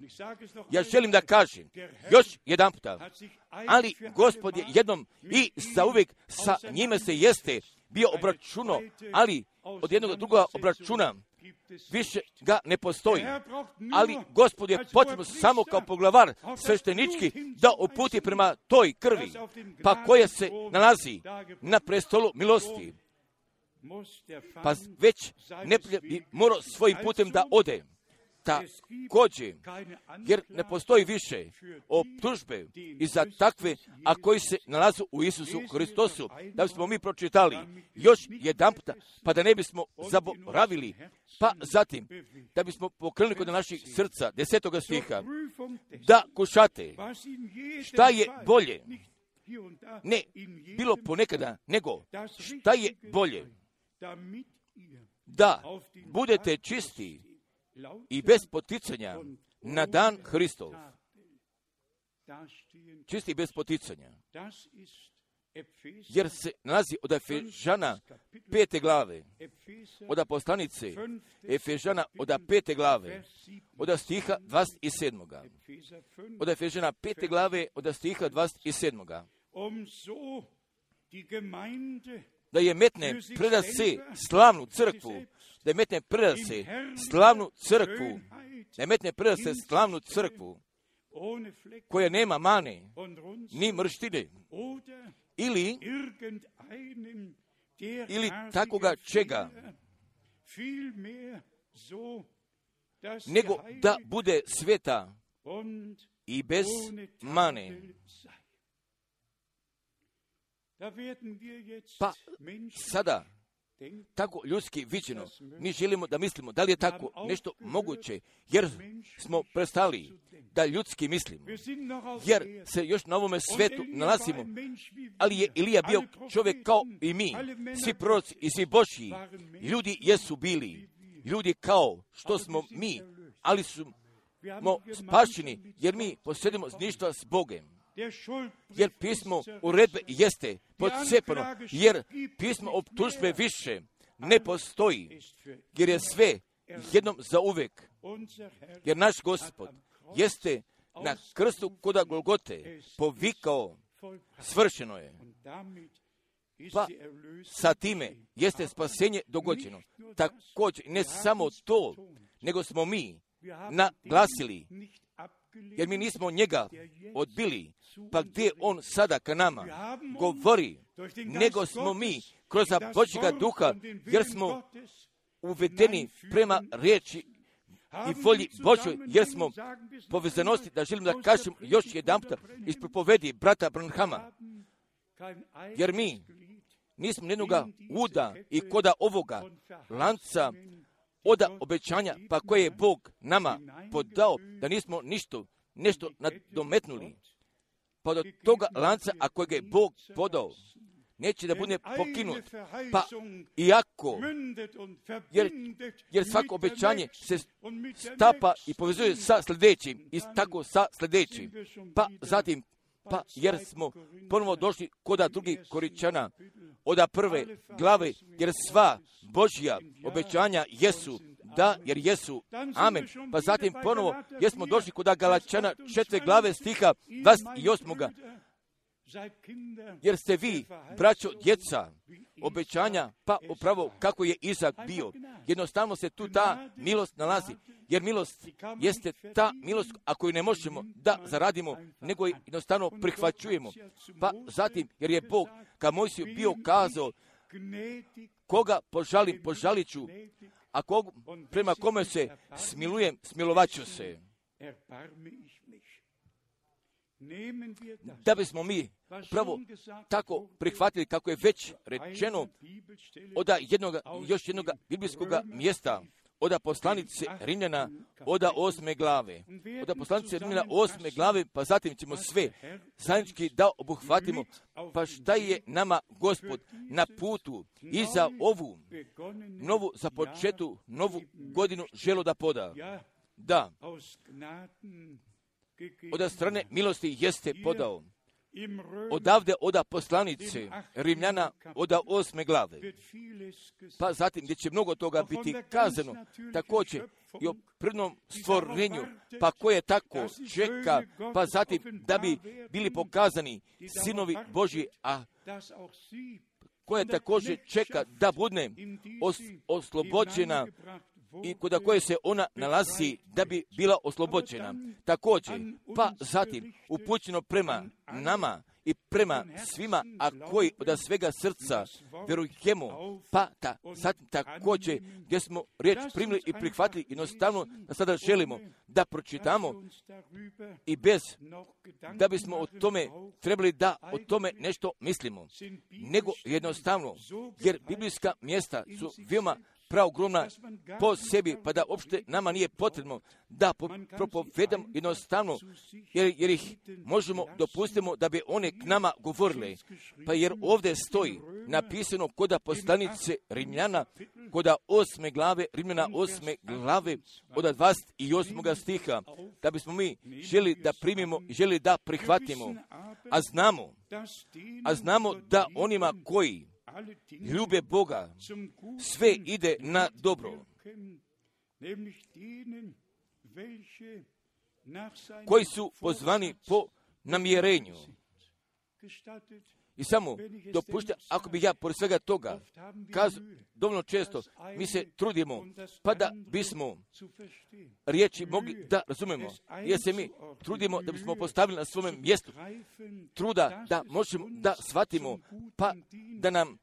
Ja želim da kažem još jedan puta, ali Gospod je jednom i zauvijek sa njime se jeste bio obračuno, ali od jednog drugoga obračuna više ga ne postoji. Ali Gospod je potrebno samo kao poglavar sveštenički da uputi prema toj krvi, pa koja se nalazi na prestolu milosti. Pa već neprijatelj bi morao svojim putem da ode. Također, jer ne postoji više optužbe i za takve, a koji se nalaze u Isusu Hristosu, da bismo mi pročitali još jedan puta, pa da ne bismo zaboravili, pa zatim, da bismo pokrenuli kod naših srca, 10. stiha, da kušate šta je bolje, ne bilo ponekada, nego šta je bolje, da budete čisti i bez poticanja na dan Hristov. Čisti bez poticanja. Jer se nalazi od Efežana 5. glave, od poslanice Efežana od 5. glave, od stiha 27. Od Efežana 5. glave, od stiha 27. Da je metne preda se slavnu crkvu, da je metne preda se slavnu crkvu, da je metne preda se slavnu crkvu, koja nema mane, ni mrštine, ili takoga čega, nego da bude sveta i bez mane. Pa sada, tako ljudski viđeno, mi želimo da mislimo da li je tako nešto moguće, jer smo prestali da ljudski mislimo, jer se još na ovome svetu nalazimo, ali je Ilija bio čovjek kao i mi, svi proroci i svi Božji, ljudi jesu bili, ljudi kao što smo mi, ali smo spašeni, jer mi posjedimo ništa s Bogem. jer pismo uredbe jeste podcijepano, jer pismo optužbe više ne postoji, jer je sve jednom zauvek, jer naš Gospod jeste na krstu koda Golgote povikao, svršeno je. Pa sa time jeste spasenje dogođeno. Također, ne samo to, nego smo mi naglasili, jer mi nismo njega odbili, pa gdje on sada ka nama govori, nego smo mi kroz Božjega duha, jer smo uvedeni prema riječi i volji Božoj, jer smo povezanosti, da želim da kažem još jedan puta iz propovedi brata Branhama, jer mi nismo jednoga uda i koda ovoga lanca oda obećanja, pa koje je Bog nama podao, da nismo nešto nadometnuli. Pa do toga lanca, a kojeg je Bog podao, neće da bude pokinut. Pa iako, jer svako obećanje se stapa i povezuje sa sljedećim, i tako sa sljedećim. Pa zatim, jer smo ponovo došli koda drugih Koričana, oda prve glave, jer sva Božja obećanja jesu da, jer jesu, amen. Pa zatim ponovo, jer smo došli koda Galačana 4. glave stiha 28. Jer ste vi, braćo, djeca, obećanja, pa upravo kako je Izak bio. Jednostavno se tu ta milost nalazi, jer milost jeste ta milost, ako ju ne možemo da zaradimo, nego jednostavno prihvaćujemo. Pa zatim, jer je Bog ka Mojsiju bio kazao, koga požalim, požalit ću, a prema kome se smilujem, smilovat ću se. Da bismo mi pravo tako prihvatili, kako je već rečeno, još jednog biblijskog mjesta, oda poslanice Rimljana, oda 8. glave. Oda poslanice Rimljana 8. glave, pa zatim ćemo sve zajednički da obuhvatimo, pa šta je nama Gospod na putu i za ovu novu započetu novu godinu želo da poda. Da, od strane milosti jeste podao. Odavde oda poslanice Rimljana oda 8. glave. Pa zatim gdje će mnogo toga biti kazano, također i o prvnom stvorenju, pa koje tako čeka, pa zatim da bi bili pokazani sinovi Božji, a koje također čeka da bude oslobođena i kod koje se ona nalazi da bi bila oslobođena. Također, pa zatim upućeno prema nama i prema svima, a koji od svega srca vjerujemo, pa zatim također gdje smo riječ primili i prihvatili, jednostavno da sada želimo da pročitamo i bez da bismo o tome trebali da o tome nešto mislimo, nego jednostavno, jer biblijska mjesta su veoma praogromna po sebi, pa da uopšte nama nije potrebno da propovedamo jednostavno, jer ih možemo dopustimo da bi one k nama govorile. Pa jer ovdje stoji napisano koda poslanice Rimljana, koda 8. glave, Rimljana 8. glave, od 28. stiha, da bismo mi želi da primimo i želi da prihvatimo. A znamo da onima koji ljube Boga, sve ide na dobro, koji su pozvani po namjerenju. I samo dopušta, ako bi ja pored svega toga kazao, dovoljno često mi se trudimo, pa da bismo riječi mogli da razumemo, jer se mi trudimo da bismo postavili na svome mjestu truda da možemo da shvatimo, pa da nam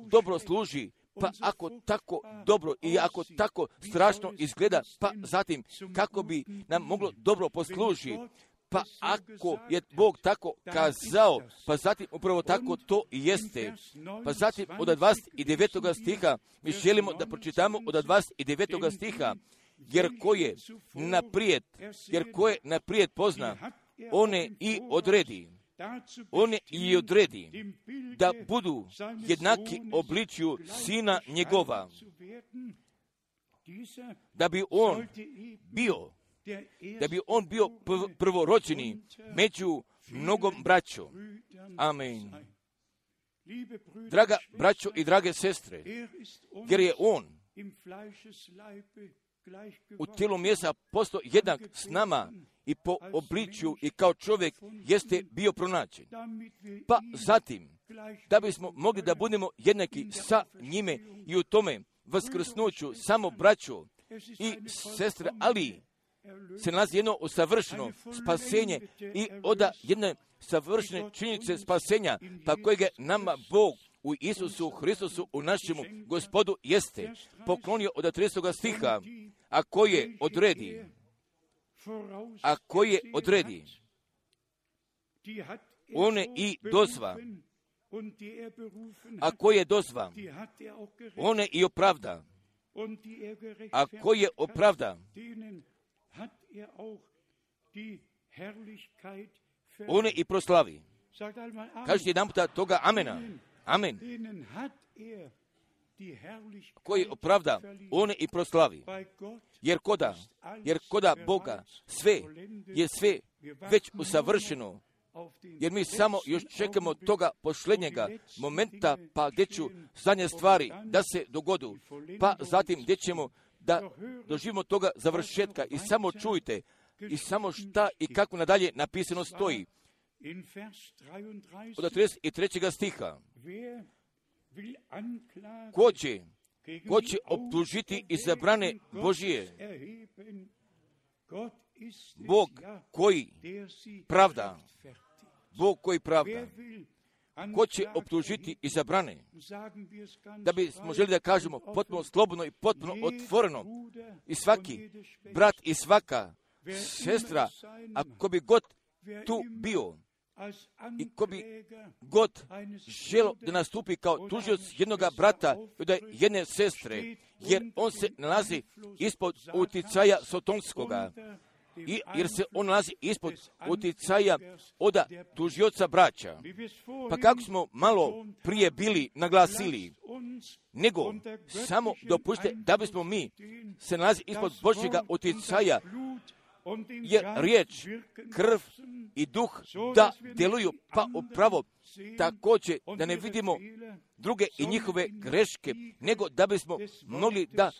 dobro služi, pa ako tako dobro i ako tako strašno izgleda, pa zatim kako bi nam moglo dobro posluži, pa ako je Bog tako kazao, pa zatim upravo tako to i jeste. Pa zatim od 29. stiha mi želimo da pročitamo od 29. stiha, jer ko je naprijed pozna, one i odredi da budu jednaki obličju sina njegova, da bi on bio prvorođeni među mnogom braćo. Amen. Draga braćo i drage sestre, jer je on u tijelu mjesta postao jednak s nama i po obličju i kao čovjek jeste bio pronađen. Pa zatim, da bismo mogli da budemo jednaki sa njime i u tome vaskrsnuću samo braćo i sestre, ali se nalazi jedno usavršeno spasenje i oda jedne savršene činjenice spasenja, pa kojega nama Bog u Isusu Hristusu, u našemu Gospodu, jeste poklonio od 30. stiha, a koje odredi, one i dozva, a koje dozva, one i opravda, a koje opravda, one i proslavi. Kažete jedan puta toga amena. Amen. Koji opravda, one i proslavi. Jer koda Boga sve je sve već usavršeno. Jer mi samo još čekamo toga posljednjega momenta, pa gdje ću zadnje stvari da se dogodu, pa zatim gdje ćemo da doživimo toga završetka. I samo čujte, i samo šta i kako nadalje napisano stoji. Od 33. stiha. Ko će optužiti izabrane Božije? Bog koji pravda. Bog koji pravda. Ko će optužiti izabrane? Da bismo želi da kažemo potpuno slobodno i potpuno otvoreno. I svaki brat i svaka sestra, ako bi god tu bio, i ko bi god želo da nastupi kao tužioc jednoga brata i da jedne sestre, jer on se nalazi ispod uticaja sotonskoga, jer se on nalazi ispod uticaja od tužioca braća. Pa kako smo malo prije bili naglasili, nego samo dopustite da bismo mi se nalazi ispod Božjega uticaja, jer riječ, krv i duh da djeluju, pa upravo također da ne vidimo druge i njihove greške, nego da bismo mogli da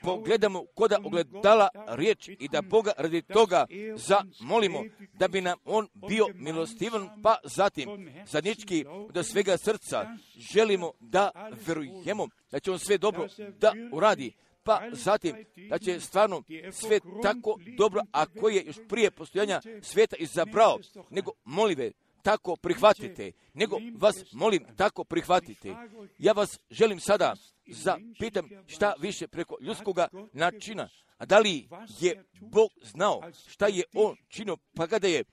pogledamo koda ogledala riječ i da Boga radi toga zamolimo da bi nam on bio milostivan, pa zatim zadnjički od svega srca želimo da verujemo da će on sve dobro da uradi, pa zatim da će stvarno sve tako dobro, a koje je još prije postojanja svijeta izabrao, nego molive tako prihvatite, nego vas molim tako prihvatite. Ja vas želim sada zapitam šta više preko ljudskoga načina, a da li je Bog znao šta je on činio, pa kada je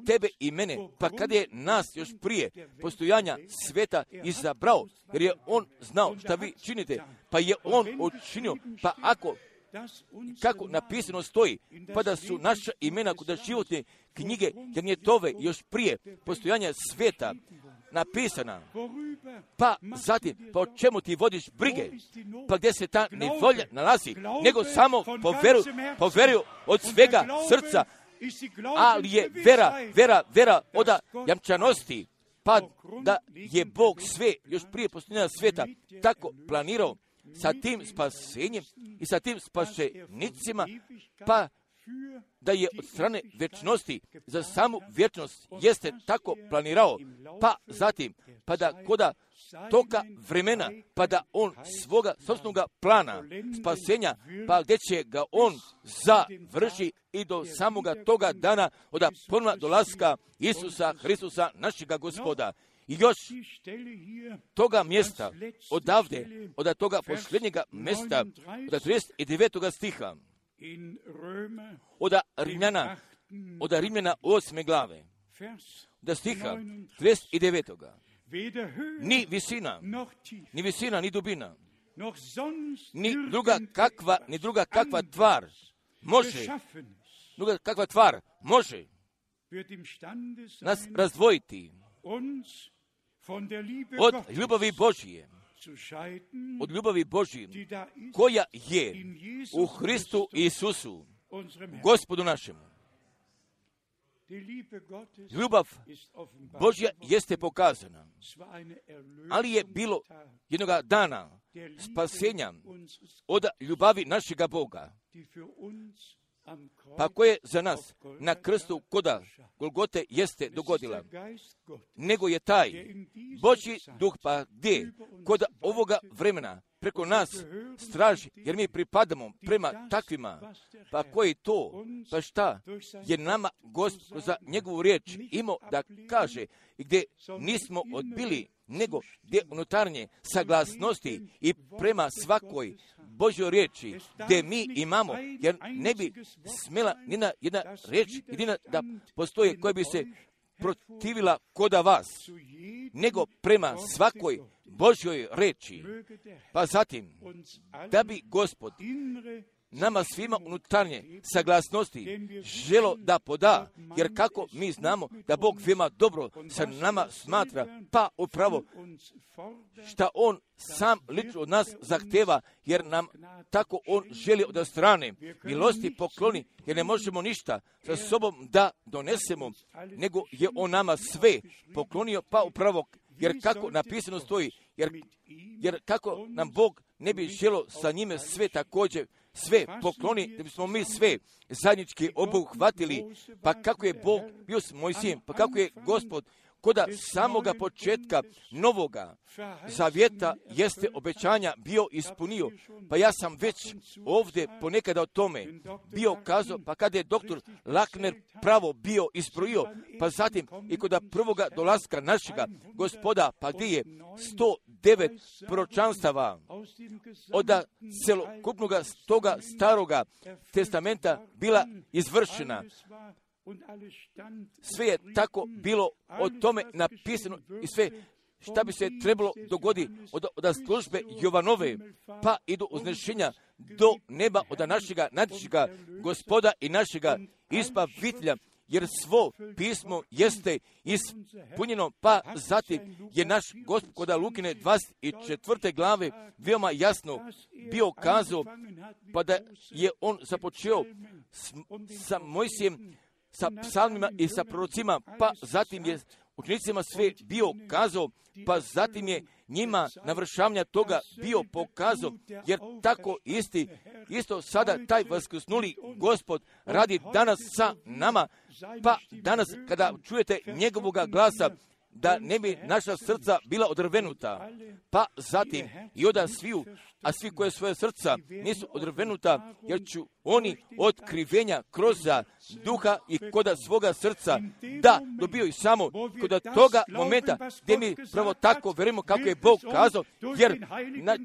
tebe i mene, pa kada je nas još prije postojanja sveta izabrao, jer je on znao šta vi činite, pa je on učinio, pa kako napisano stoji, pa da su naša imena kod životne knjige Janjetove još prije postojanja sveta napisana, pa zatim, pa o čemu ti vodiš brige, pa gdje se ta nevolja nalazi, nego samo po veru od svega srca, ali je vera od jamčanosti, pa da je Bog sve još prije postojanja sveta tako planirao sa tim spasenjem i sa tim spašenicima, pa da je od strane vječnosti za samu vječnost jeste tako planirao, pa zatim, pa da koda toga vremena, pa da on svoga sobstvenog plana spasenja, pa gdje će ga on završi i do samoga toga dana od ponovna dolaska Isusa Hristusa našega Gospoda. I još toga mjesta, odavde, od toga posljednjega mjesta, od 39. stiha, od Rimljana 8. glave, od stiha 39. Ni visina, ni dubina, ni druga kakva tvar može nas razdvojiti od ljubavi Božije, koja je u Hristu Isusu, Gospodu našemu. Ljubav Božja jeste pokazana, ali je bilo jednoga dana spasenja od ljubavi našega Boga, pa koje za nas na krstu koda Golgote jeste dogodila, nego je taj Božji duh pa gdje kod ovoga vremena preko nas straži, jer mi pripadamo prema takvima, pa koji to, pa šta je nama Gospod za njegovu riječ imao da kaže, gdje nismo odbili, nego gdje unutarnje saglasnosti i prema svakoj Božjoj riječi, gdje mi imamo, jer ne bi smjela nina jedna riječ jedina da postoje koja bi se protivila koda vas, nego prema svakoj Božjoj riječi. Pa zatim, da bi Gospod nama svima unutarnje saglasnosti želo da poda, jer kako mi znamo da Bog veoma dobro sa nama smatra, pa upravo šta On sam lično od nas zahteva, jer nam tako On želi od strane milosti pokloni, jer ne možemo ništa sa sobom da donesemo, nego je On nama sve poklonio, pa upravo, jer kako napisano stoji, jer kako nam Bog ne bi želo sa njime sve također sve pokloni, da bismo mi sve zajednički obuhvatili, pa kako je Bog bio s Mojsijem, pa kako je Gospod koda samoga početka novoga zavjeta jeste obećanja bio ispunio. Pa ja sam već ovdje ponekada o tome bio kazao, pa kada je doktor Lakner pravo bio isbrojio, pa zatim i kod prvoga dolaska našega Gospoda, pa gdje je 109 proročanstava od celokupnog toga staroga testamenta bila izvršena. Sve je tako bilo o tome napisano i sve šta bi se trebalo dogoditi od službe Jovanove, pa i do uznešenja do neba od našega nadvišega Gospoda i našega Izbavitelja, jer svo pismo jeste ispunjeno, pa zatim je naš Gospod kod Lukine 24. glave veoma jasno bio kazao, pa da je on započeo sa Mojsijem, sa psalmima i sa prorocima, pa zatim je učenicima sve bio kazao, pa zatim je njima navršavanja toga bio pokazao, jer tako isto sada taj vaskrsnuli Gospod radi danas sa nama, pa danas kada čujete njegovoga glasa, da ne bi naša srca bila odrvenuta, pa zatim i oda sviju, a svi koje svoje srca nisu odrvenuta, jer ću oni otkrivenja kroz duha i koda svoga srca da dobiju samo kod toga momenta gdje mi pravo tako verujemo kako je Bog kazao, jer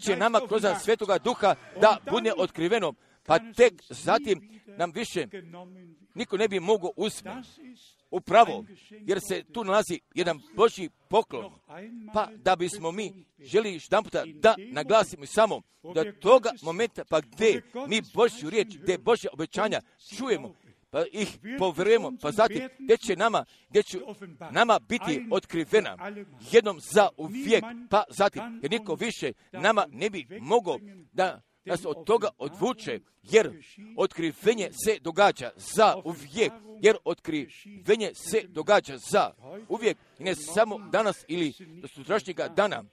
će nama kroz svetoga duha da bude otkriveno, pa tek zatim nam više niko ne bi mogao uspjeti. Upravo, jer se tu nalazi jedan Božji poklon, pa da bismo mi želi jedanputa da naglasimo samo da toga momenta, pa gdje mi Božju riječ, gdje Božja obećanja čujemo, pa ih poverujemo, pa zatim gdje će nama biti otkrivena jednom za uvijek, pa zatim, jer niko više nama ne bi mogao da nas od toga odvuče, jer otkrivenje se događa za uvijek, jer otkrivenje se događa za uvijek, i ne samo danas ili do sutrašnjega dana,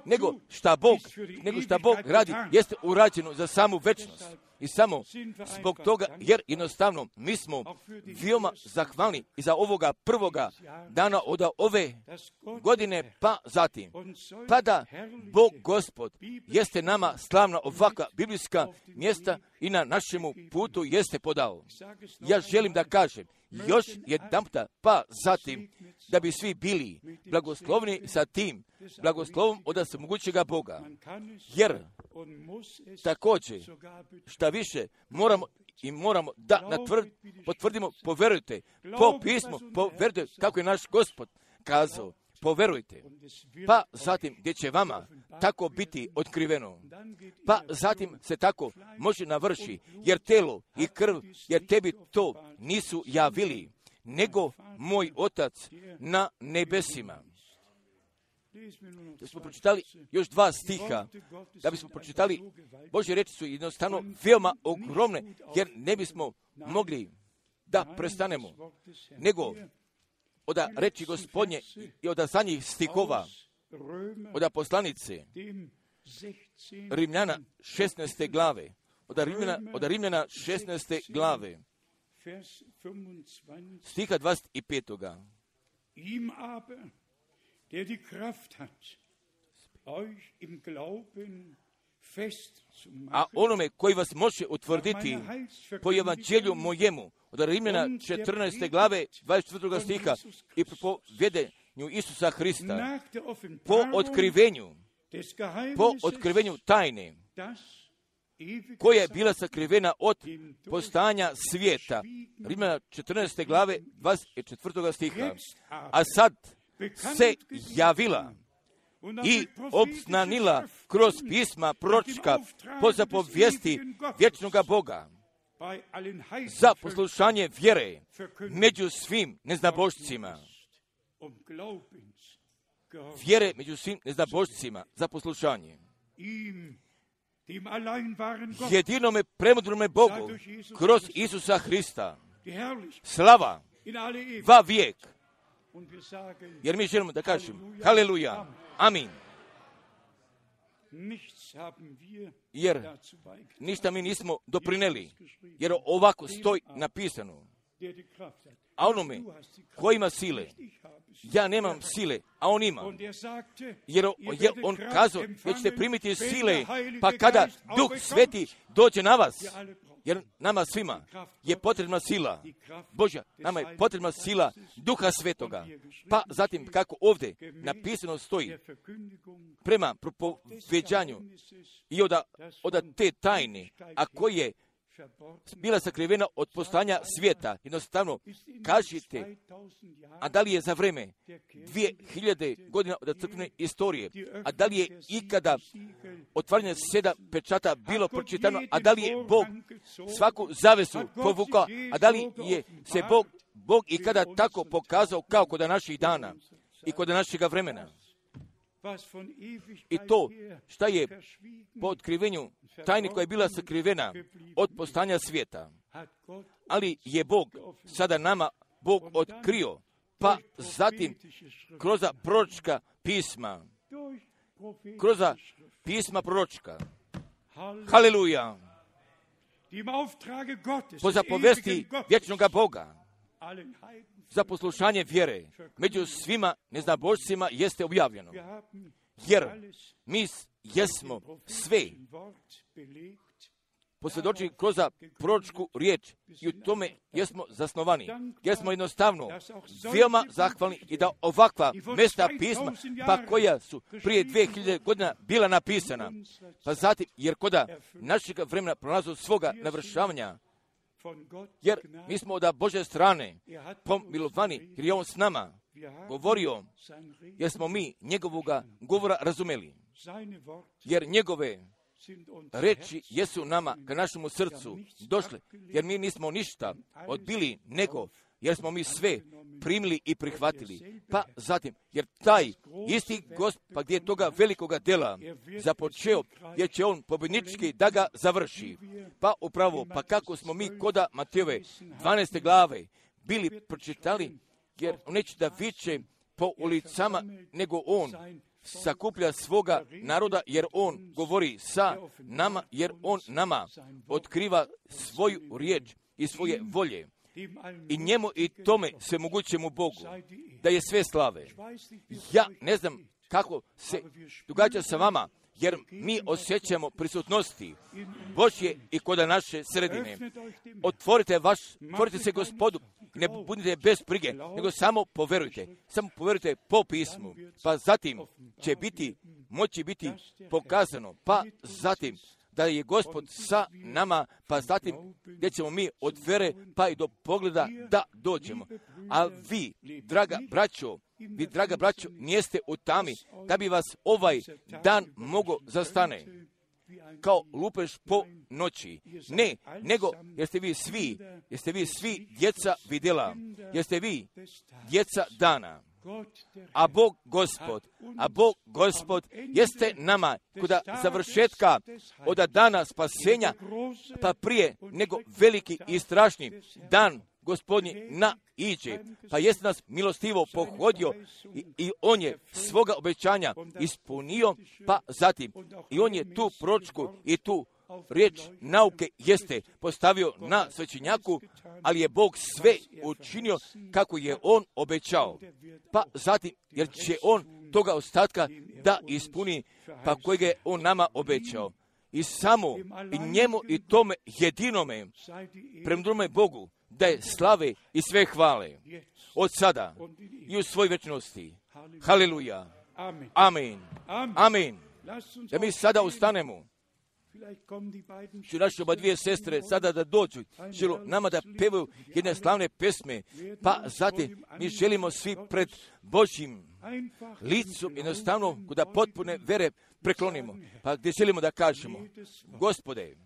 nego šta Bog radi, jeste urađeno za samu večnost. I samo zbog toga, jer jednostavno mi smo veoma zahvalni i za ovoga prvoga dana od ove godine, pa zatim, pa da Bog Gospod jeste nama slavna ovakva biblijska mjesta i na našemu putu jeste podao. Ja želim da kažem još jedanputa, pa zatim, da bi svi bili blagoslovni sa tim blagoslovom od svemogućega Boga. Jer također, šta više, moramo da potvrdimo, poverujte, po pismu, poverujte kako je naš Gospod kazao, poverujte. Pa zatim, gdje će vama tako biti otkriveno, pa zatim se tako može navrši, jer telo i krv, jer tebi to nisu javili, nego moj Otac na nebesima. Da smo pročitali još 2 stiha, da bismo pročitali, Božje reči su jednostavno veoma ogromne, jer ne bismo mogli da prestanemo, nego od reči Gospodnje i od zadnjih stihova, od poslanice Rimljana 16. glave, od Rimljana 16. glave, stiha 25. Ihm aber, der die Kraft hat, euch im Glauben festzumachen. A onome koji vas može utvrditi po evanđelju mojemu, od Rimljana 14. glave 24. stiha, i po vjedenju Isusa Hrista, po otkrivenju tajne, koja je bila sakrivena od postojanja svijeta. Rimljana 14. glave 24. stiha. A sad se javila i obznanila kroz pisma proročka po zapovijesti vječnoga Boga za poslušanje vjere među svim neznabošcima. Vjere među svim neznabošcima za poslušanje. Jedinome premudrome Bogu kroz Isusa Hrista slava va vijek. Jer mi želimo da kažemo haleluja, amin. Jer ništa mi nismo doprineli, jer ovako stoji napisano. A onome ko ima sile, ja nemam sile, a on ima. Jer on kazao da ćete primiti sile, pa kada Duh Sveti dođe na vas, jer nama svima je potrebna sila Božja, nama je potrebna sila Duha Svetoga. Pa zatim kako ovdje napisano stoji, prema propoveđanju i od te tajne, a koji je bila sakrivena od postojanja svijeta. Jednostavno, kažite, a da li je za vreme 2000 godina od crkvene istorije, a da li je ikada otvaranje 7 pečata bilo pročitano, a da li je Bog svaku zavesu povukao, a da li je se Bog ikada tako pokazao kao kod naših dana i kod našega vremena. I to šta je po otkrivenju tajne koja je bila sakrivena od postojanja svijeta. Ali je Bog sada nama Bog otkrio, pa zatim kroz proročka pisma, kroz pisma proročka. Haleluja! Po zapovesti vječnoga Boga za poslušanje vjere među svima neznabošcima jeste objavljeno. Jer mi jesmo sve posvjedočili kroz proročku riječ i u tome jesmo zasnovani. Jer smo jednostavno veoma zahvalni i da ovakva mesta pisma, pa koja su prije 2000 godina bila napisana, pa zatim, jer koda našeg vremena prolazu svoga navršavanja, jer mi smo od Božje strane pomilovani, jer je on s nama govorio, jer smo mi njegovoga govora razumeli. Jer njegove reči jesu nama ka našemu srcu došle, jer mi nismo ništa odbili nego, jer smo mi sve primili i prihvatili. Pa zatim, jer taj isti Gospod gdje je toga velikoga dela započeo, jer će on pobjednički da ga završi. Pa upravo, pa kako smo mi koda Matejove 12. glave bili pročitali, jer on neće da viče po ulicama, nego on sakuplja svoga naroda, jer on govori sa nama, jer on nama otkriva svoju riječ i svoje volje. I njemu i tome svemogućemu Bogu da je sve slave. Ja ne znam kako se događa sa vama, jer mi osjećamo prisutnosti Božje i kod naše sredine. Otvorite se Gospodu, ne budite bez brige, nego samo poverujte po pismu, pa zatim će moći biti pokazano, pa zatim da je Gospod sa nama, pa zatim gdje ćemo mi od vere pa i do pogleda da dođemo. A vi, draga braćo, nijeste u tami da bi vas ovaj dan mogo zastane kao lupež po noći. Ne, nego jeste vi svi djeca vidjela, jeste vi djeca dana. A Bog Gospod jeste nama kod završetka od dana spasenja, pa prije nego veliki i strašni dan Gospodnji naiđe, pa jeste nas milostivo pohodio i on je svoga obećanja ispunio, pa zatim i on je tu proročku i tu riječ nauke jeste postavio na svećenjaku, ali je Bog sve učinio kako je on obećao. Pa zatim, jer će on toga ostatka da ispuni, pa kojeg je on nama obećao. I samo i njemu i tome jedinome, premudrome Bogu, da je slave i sve hvale od sada i u svoj večnosti. Haleluja. Amen. Amen. Da mi sada ustanemo. Ću naše oba dvije sestre sada da dođu, želu nama da pevaju jedne slavne pesme, pa zatim mi želimo svi pred Božjim licom jednostavno da potpune vere preklonimo, pa gdje želimo da kažemo, Gospode,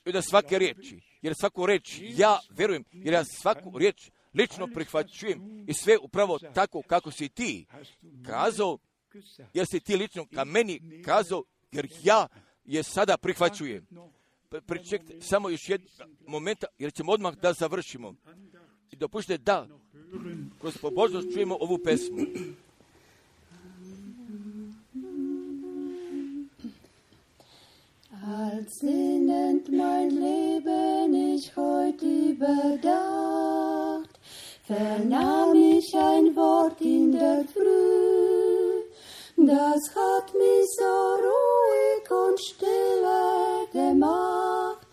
i da svake riječi, jer svaku riječ ja verujem, jer ja svaku riječ lično prihvaćujem i sve upravo tako kako si ti kazao, jer si ti lično ka meni kazao, jer ja je sada prihvaćujem. Pričekajte samo još jedan moment, jer ćemo odmah da završimo. I dopušte da kroz pobožnost čujemo ovu pesmu. Als sinnend mein Leben ich heut überdacht, vernahm ich ein Wort in der Früh, das hat mich so ruhig und stille gemacht.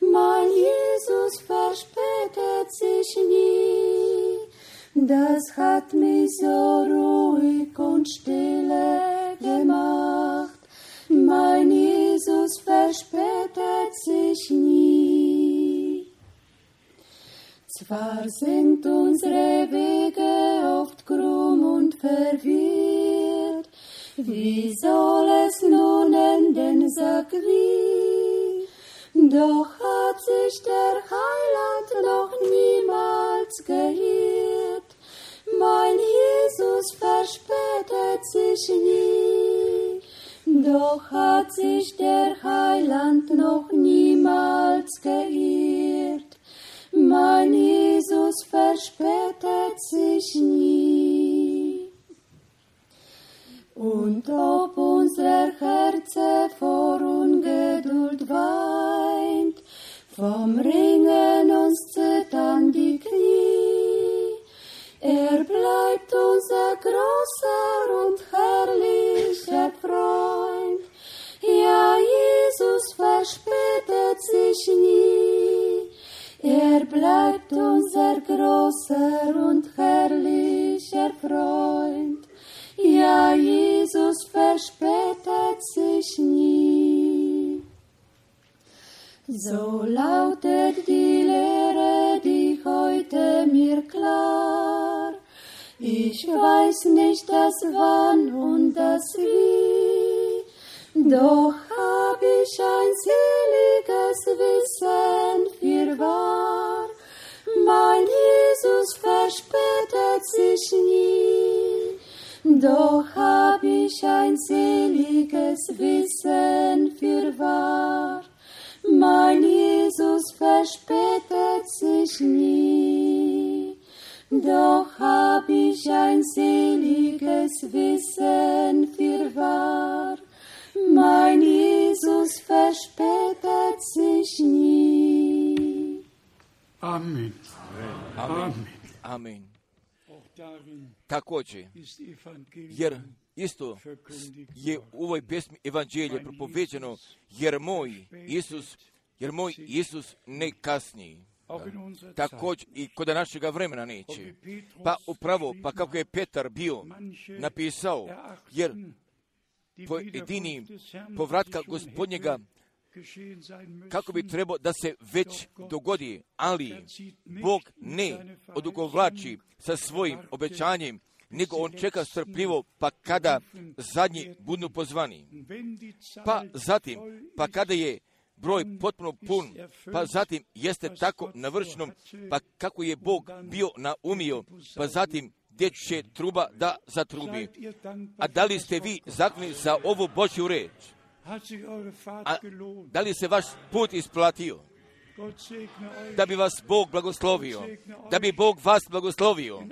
Mein Jesus verspätet sich nie, das hat mich so ruhig und stille gemacht. Mein Jesus verspätet sich nie. Zwar sind unsere Wege oft krumm und verwirrt, wie soll es nun enden, sag wie? Doch hat sich der Heiland noch niemals geirrt. Mein Jesus verspätet sich nie. Doch hat sich der Heiland noch niemals geirrt. Mein Jesus verspätet sich nie. Und ob unser Herze vor Ungeduld weint, vom Ringen uns zittern die Knie, bleibt unser großer und herrlicher Freund. Ja, Jesus verspätet sich nie. Bleibt unser großer und herrlicher Freund. Ja, Jesus verspätet sich nie. So lautet die Lehre, die heute mir klar. Ich weiß nicht das Wann und das Wie, doch hab ich ein seliges Wissen fürwahr. Mein Jesus verspätet sich nie, doch hab ich ein seliges Wissen fürwahr. Mein Jesus verspätet sich nie, doch hab ich ein seliges Wissen fürwahr. Mein Jesus verspätet sich nie. Amen. Amen. Amen. Također, jer isto je u ovoj pjesmi evanđelje propoveđeno, jer moj Isus ne kasni. Također i kod našega vremena neće. Pa upravo, pa kako je Petar bio napisao, jer pojedini povratka Gospodnjega kako bi trebao da se već dogodi, ali Bog ne odugovlači sa svojim obećanjem, nego on čeka strpljivo, pa kada zadnji budu pozvani. Pa zatim, pa kada je broj potpuno pun, pa zatim jeste tako navršenom, pa kako je Bog bio naumio, pa zatim gdje će truba da zatrubi. A da li ste vi zahvalni za ovu Božju reč? A da li se vaš put isplatio? da bi vas Bog blagoslovio, da bi Bog vas blagoslovio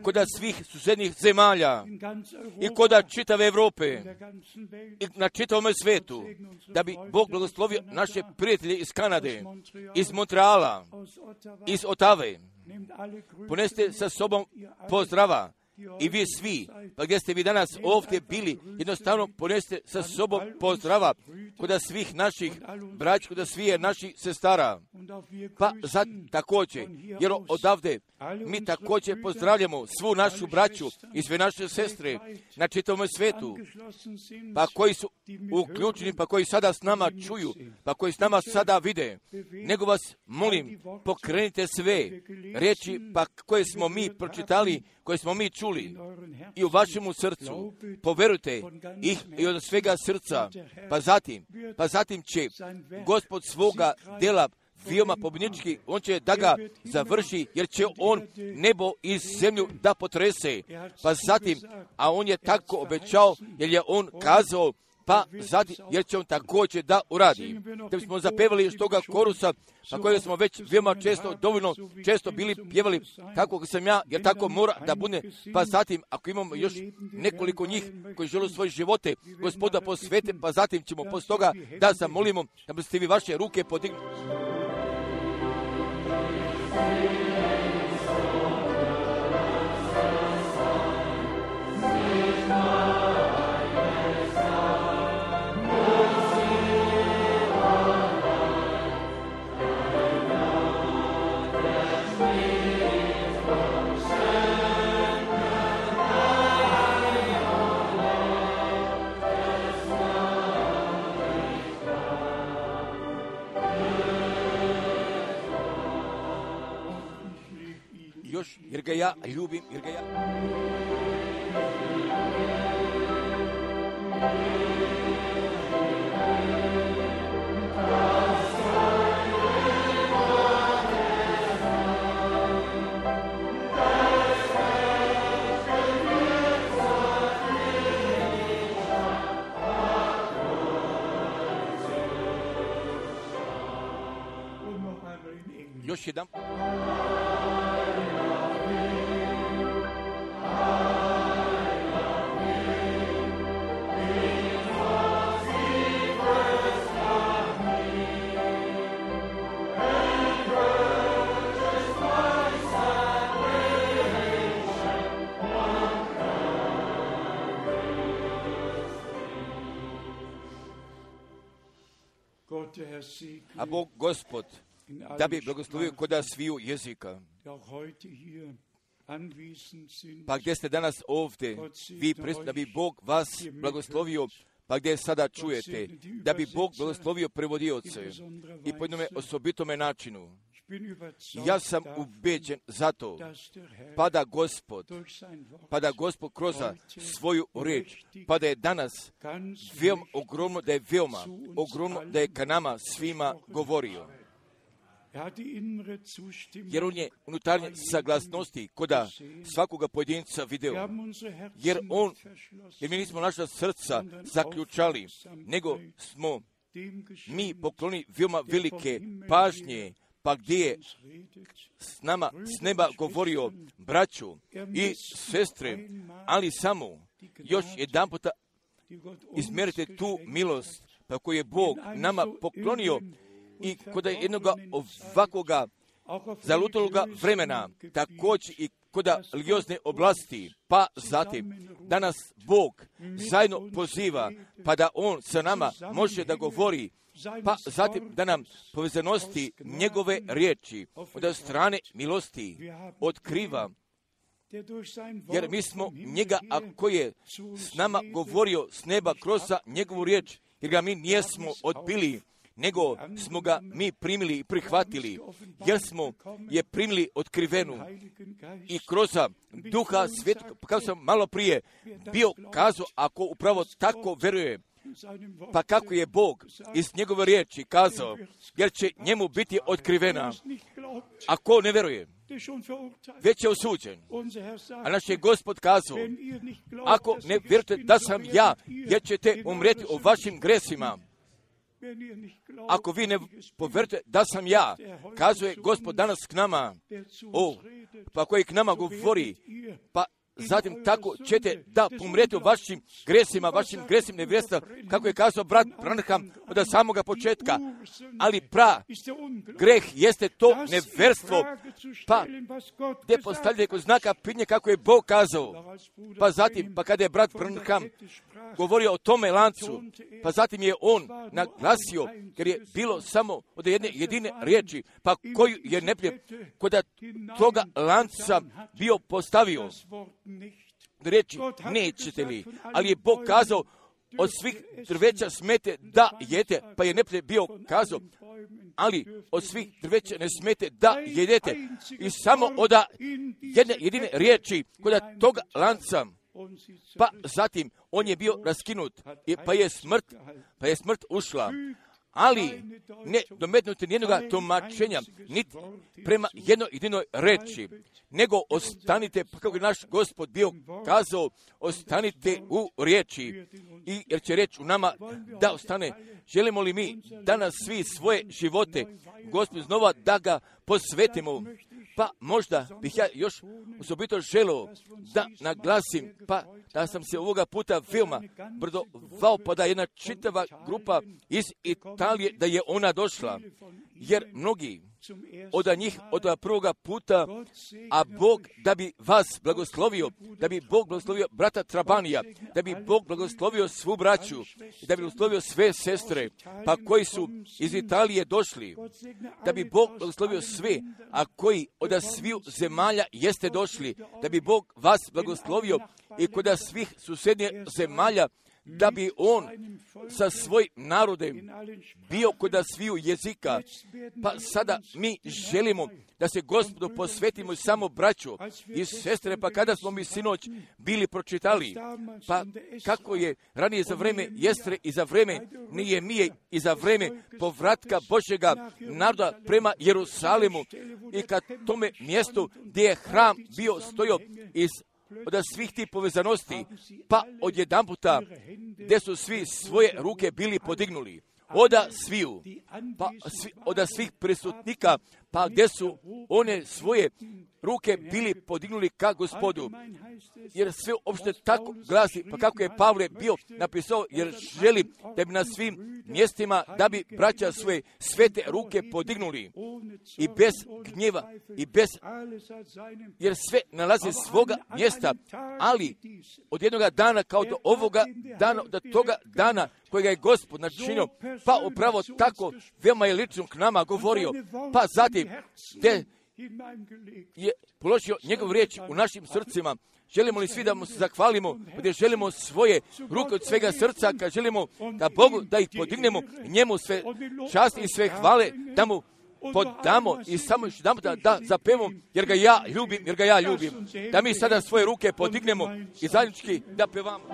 kod svih susednih zemalja i kod čitave Evrope i na čitavom svijetu, da bi Bog blagoslovio naše prijatelje iz Kanade, iz Montreala, iz Otave. Poneste sa sobom pozdrava i vi svi, pa gdje ste vi danas ovdje bili, jednostavno poneste sa sobom pozdrava kod svih naših braća, kod svih naših sestara. Pa također, jer odavde mi također pozdravljamo svu našu braću i sve naše sestre na čitavom svijetu, pa koji su uključeni, pa koji sada s nama čuju, pa koji s nama sada vide. Nego vas molim, pokrenite sve riječi pa koje smo mi pročitali, koje smo mi čuli i u vašemu srcu. Poverujte ih i od svega srca, pa zatim će Gospod svoga dela veoma pobjednički, on će da ga završi, jer će on nebo i zemlju da potrese. Pa zatim, a on je tako obećao, jer je on kazao, pa zatim, jer će on također da uradi. Da bismo zapevali još toga korusa, na kojeg smo već veoma dovoljno često bili pjevali, kako sam ja, jer tako mora da bude. Pa zatim, ako imamo još nekoliko njih koji žele svoje živote Gospoda posvete, pa zatim ćemo poslije toga da zamolimo da biste vi vaše ruke podigli. Još, jer ga ja ljubim, jer ga ja... Još jedan... A Bog Gospod da bi blagoslovio kod sviju jezika. Pa gdje ste danas ovdje, vi da bi Bog vas blagoslovio, pa gdje sada čujete, da bi Bog blagoslovio prevodioce i po jednome osobitome načinu. Ja sam ubeđen zato, pa da Gospod kroz svoju riječ, pa da je danas veoma ogromno, da je ka nama svima govorio. Jer on je unutarnje saglasnosti koda svakoga pojedinca video. Jer mi nismo naša srca zaključali, nego smo mi pokloni veoma velike pažnje, pa gdje je s nama s neba govorio braću i sestre, ali samo još jedan puta izmjerite tu milost pa koju je Bog nama poklonio i kod jednoga ovakvoga zalutaloga vremena, također i kod religiozne oblasti, pa zatim da nas Bog zajedno poziva, pa da On sa nama može da govori, pa zatim da nam povezanosti njegove riječi od strane milosti otkriva, jer mi smo njega, a koji je s nama govorio s neba kroz njegovu riječ, jer ga mi nijesmo odbili, nego smo ga mi primili i prihvatili, jer smo je primili otkrivenu i kroz Duha Svetog, kao sam malo prije bio kazao, ako upravo tako veruje, pa kako je Bog iz njegove riječi kazao, jer će njemu biti otkrivena. Ako ne veruje, već je osuđen. A naš je Gospod kazao, ako ne vjerujete da sam ja, jer ćete umrijeti o vašim gresima. Ako vi ne poverujete da sam ja, kazuje Gospod danas k nama, pa koji k nama govori, pa zatim tako ćete da pomrete u vašim gresima nevjerstva, kako je kazao brat Branham od samoga početka. Ali greh jeste to nevjerstvo, pa gdje postavljate kod znaka pitanja kako je Bog kazao. Pa zatim, pa kada je brat Branham govorio o tome lancu, pa zatim je on naglasio, jer je bilo samo od jedne jedine riječi, pa koju je neprijatelj kod toga lanca bio postavio. Reći, nećete li, ali je Bog kazao, od svih drveća smete da jete, pa je neprijatelj bio kazao, ali od svih drveća ne smete da jedete. I samo od jedne jedine riječi kod toga lanca, pa zatim on je bio raskinut, pa je smrt ušla. Ali ne dometnuti nijednoga tumačenja, niti prema jednoj jedinoj reči, nego ostanite, pa kako je naš Gospod bio kazao, ostanite u riječi, jer će reč u nama da ostane. Želimo li mi danas svi svoje živote, Gospod znova da ga posvetimo, pa možda bih ja još osobito želio da naglasim, pa da sam se ovoga puta veoma brdovao, pa da jedna čitava grupa iz Italije, da je ona došla, jer mnogi od njih od prvoga puta, a Bog da bi vas blagoslovio, da bi Bog blagoslovio brata Trabanija, da bi Bog blagoslovio svu braću, da bi blagoslovio sve sestre, pa koji su iz Italije došli, da bi Bog blagoslovio sve, a koji od sviju zemalja jeste došli, da bi Bog vas blagoslovio i kod svih susjednjih zemalja, da bi on sa svojim narodem bio kod sviju jezika. Pa sada mi želimo da se Gospodu posvetimo samo braću i sestre, pa kada smo mi sinoć bili pročitali, pa kako je ranije za vreme Jestre i za vreme Nehemije i za vreme povratka Božjega naroda prema Jerusalimu i kad tome mjestu gdje je hram bio stojao od svih tih povezanosti, pa odjedanputa gdje su svi svoje ruke bili podignuli, od svih prisutnika, pa gdje su one svoje ruke bili podignuli ka Gospodu. Jer sve uopšte tako glasi, pa kako je Pavle bio napisao, jer želi da bi na svim mjestima, da bi braća svoje svete ruke podignuli i bez gnjeva i bez, jer sve nalazi svoga mjesta, ali od jednoga dana kao do ovoga dana, do toga dana kojega je Gospod načinio, pa upravo tako veoma je lično k nama govorio, pa zatim gdje je položio njegov riječ u našim srcima. Želimo li svi da mu se zahvalimo, gdje želimo svoje ruke od svega srca, kad želimo da Bogu da ih podignemo, njemu sve časti i sve hvale, da mu podamo i samo još da zapevamo, jer ga ja ljubim. Da mi sada svoje ruke podignemo i zajednički da pevamo.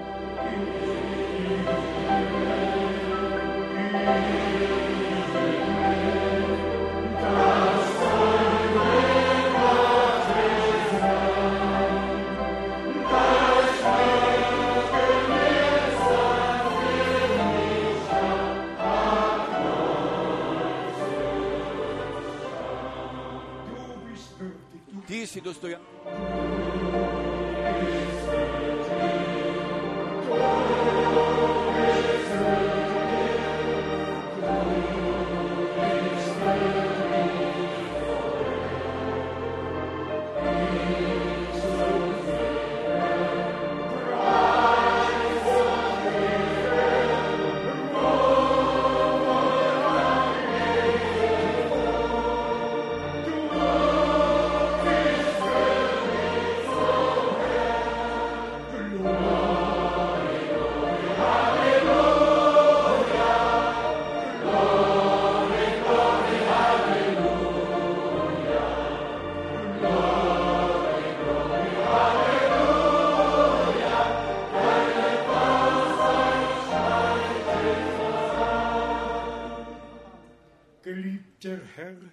Ti si dostojan.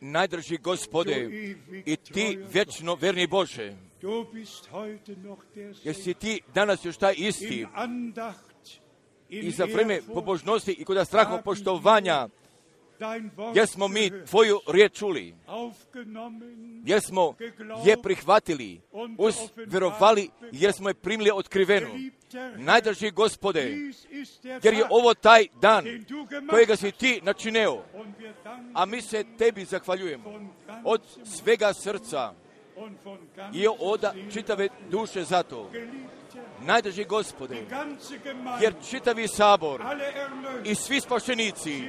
Najdrži Gospode, i ti vječno verni Bože, jer si ti danas još taj isti, i za vreme pobožnosti i kod straha poštovanja, jer smo mi Tvoju riječ čuli, jer smo je prihvatili, vjerovali, jer smo je primili otkrivenu. Najdraži Gospode, jer je ovo taj dan kojega si Ti načinio, a mi se Tebi zahvaljujemo od svega srca i od čitave duše za to. Najdraži Gospode, jer čitavi sabor i svi spašenici,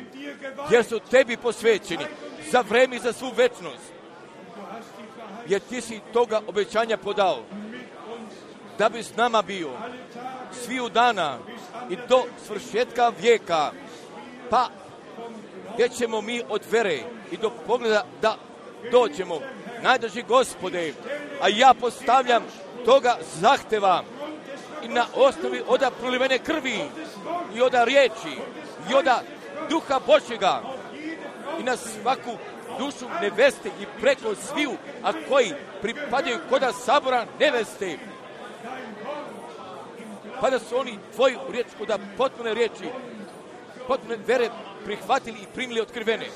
jer su Tebi posvećeni za vreme i za svu večnost, jer Ti si toga obećanja podao, da bi s nama bio sviju dana i do svršetka vijeka, pa gdje ćemo mi od vere i do pogleda da dođemo. Najdraži Gospode, a ja postavljam toga zahteva i na osnovi oda prolivene krvi i oda riječi i oda duha Božjega i na svaku dušu neveste i preko sviju, a koji pripadaju koda sabora neveste, pa da su oni Tvoju riječ koda potpune riječi, potpune vere prihvatili i primili otkrivene.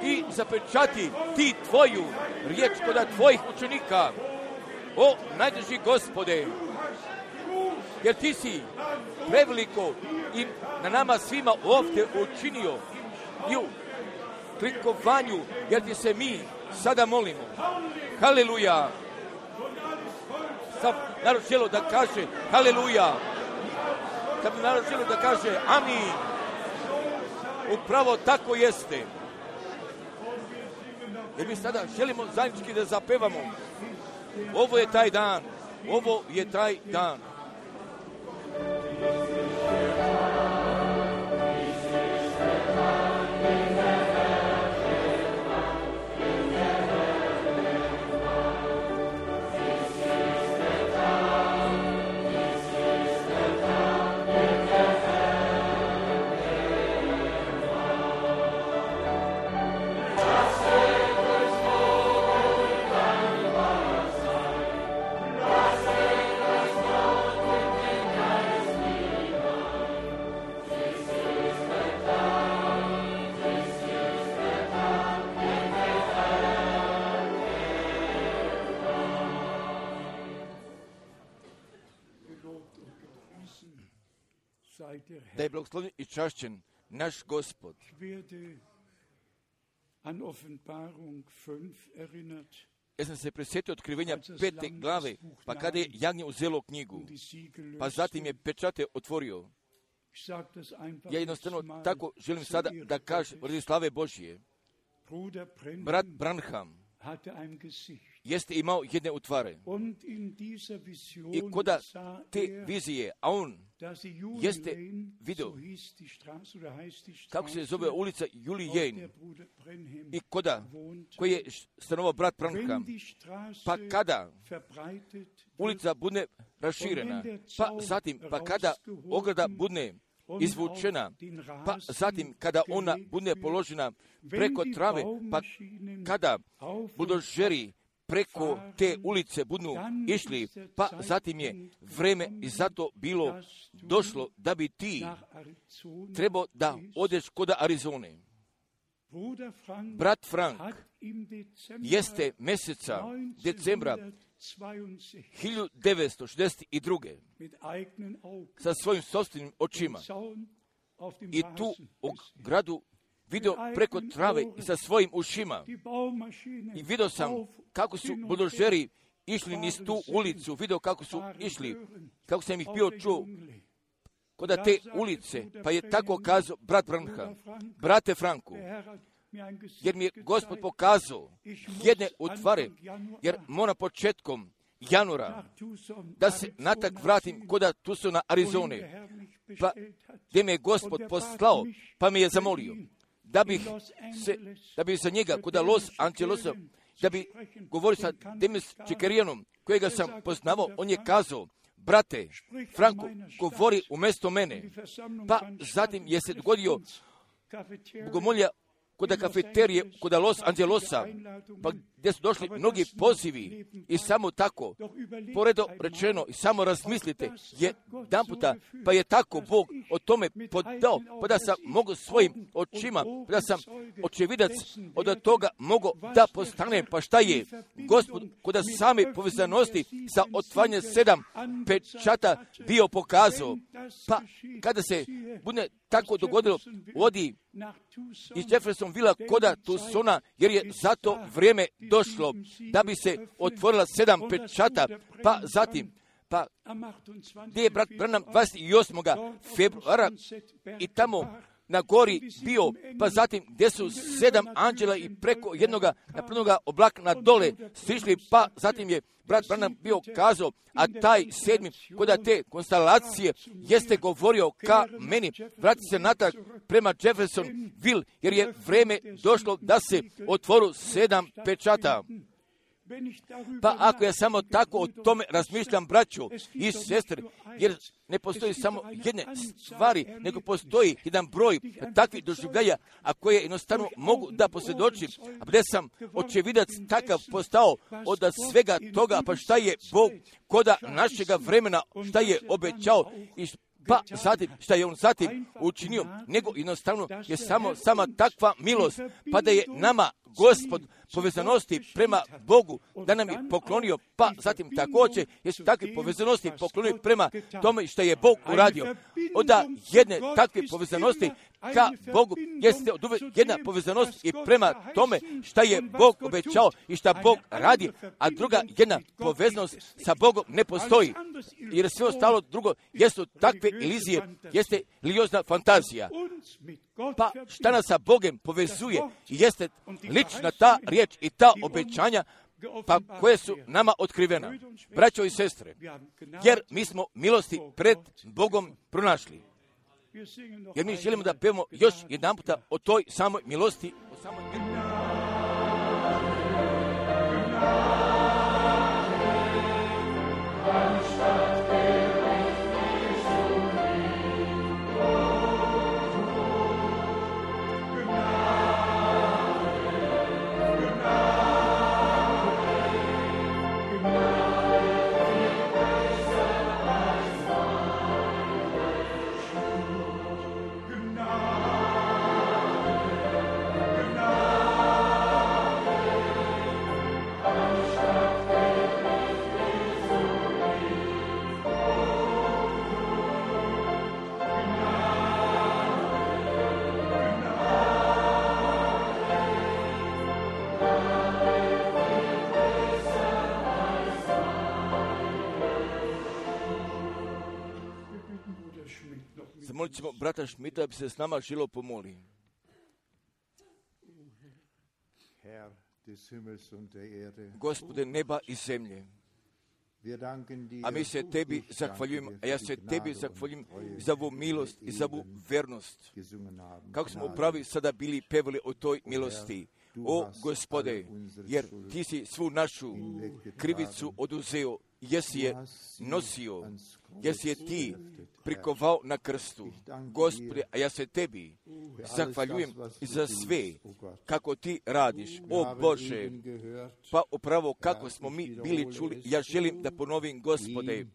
I zapečati Ti Tvoju riječ koda Tvojih učenika, o najdraži Gospode, jer Ti si preveliko i na nama svima ovdje učinio i u klikovanju, jer Ti se mi sada molimo. Haleluja! Sad narod želo da kaže haleluja. Sad narod želo da kaže amin. Upravo tako jeste. Jer mi sada želimo zajednički da zapevamo. Ovo je taj dan. Ovo je taj dan. Da je blagoslovljen i čašćen naš Gospod. Ja sam se prisjetio otkrivenja 5. glave, pa kada je jagnje uzelo knjigu, pa zatim je pečate otvorio. Ja jednostavno tako želim sada da kažem radi slave Božje. Brat Branham jeste imao jedne utvare. I koda te vizije, a on jeste vidio kako se zove ulica Julijen i koda koji je stanovao brat Branham, pa kada ulica bude raširena, pa zatim pa kada ograda bude izvučena, pa zatim kada ona bude položena preko trave, pa kada buldožeri preko te ulice budu išli, pa zatim je vreme i zato bilo došlo da bi ti trebao da odeš kod Arizone. Brat Frank jeste mjeseca decembra 1962. sa svojim sopstvenim očima i tu u gradu vidio preko trave i sa svojim ušima i vidio sam kako su buldožeri išli niz tu ulicu, vidio kako su išli, kako sam ih bio čuo kod te ulice, pa je tako kazao brat Branham, brate Franku, jer mi je Gospod pokazao jedne utvare, jer mora početkom januara da se natak vratim kod Tucsona, Arizone, pa gdje me je Gospod poslao, pa me je zamolio da bi za njega kod Los Angelesa, da bi govorio sa Demis Čekerijanom, kojega sam poznavao, on je kazao, brate, Franko, govori umjesto mene. Pa zatim je se dogodio bogomolja kod kafeterije, kod Los Angelosa, pa gdje su došli mnogi pozivi i samo tako, poredo rečeno, i samo razmislite, jedan puta, pa je tako Bog o tome podao, pa da sam mogu svojim očima, pa da sam očevidac od toga mogu da postanem, pa šta je Gospod kod same povezanosti sa otvaranjem 7 pečata bio pokazao, pa kada se bude tako dogodilo, odi iz Jeffersonvilla koda Tucsona, jer je za to vrijeme došlo da bi se otvorila 7 pečata, pa zatim, pa gdje je brat Branham 28. februara i tamo na gori bio, pa zatim gdje su 7 anđela i preko jednoga napravljenoga oblaka na dole stišli, pa zatim je brat Branham bio kazao, a taj 7. koda te konstelacije jeste govorio ka meni, vrati se natrag prema Jeffersonville, jer je vrijeme došlo da se otvoru 7 pečata. Pa ako ja samo tako o tome razmišljam, braćo i sestre, jer ne postoji samo jedne stvari, nego postoji jedan broj takvih doživljaja, a koje jednostavno mogu da posvjedočim, a gdje sam očevidac takav postao od svega toga, pa šta je Bog koda našega vremena, šta je obećao i pa zatim, šta je on zatim učinio, nego jednostavno je sama takva milost, pa da je nama Gospod povezanosti prema Bogu, da nam je poklonio, pa zatim također jesu takve povezanosti poklonio prema tome što je Bog uradio. Onda jedne takve povezanosti ka Bogu jeste od uvek jedna povezanost i prema tome šta je Bog obećao i šta Bog radi, a druga jedna povezanost sa Bogom ne postoji. Jer sve ostalo drugo jesu takve ilizije, jeste religiozna fantazija. Pa šta nas sa Bogom povezuje jeste lična ta riječ i ta obećanja, pa koje su nama otkrivena, braćo i sestre, jer mi smo milosti pred Bogom pronašli. Jer mi želimo da pevamo još jedan puta o toj samoj milosti, o samoj milosti. Zamolit ćemo brata Šmita da bi se s nama žilo pomoli. Gospode neba i zemlje, a mi se tebi zahvaljujemo, a ja se tebi zahvaljujem za ovu milost i za ovu vernost. Kako smo upravi sada bili pevali o toj milosti. O Gospode, jer ti si svu našu krivicu oduzeo, jesi je nosio, jesi je ti prikovao na krstu. Gospode, a ja se tebi zahvaljujem za sve kako ti radiš. O Bože, pa upravo kako smo mi bili čuli, ja želim da ponovim, Gospode,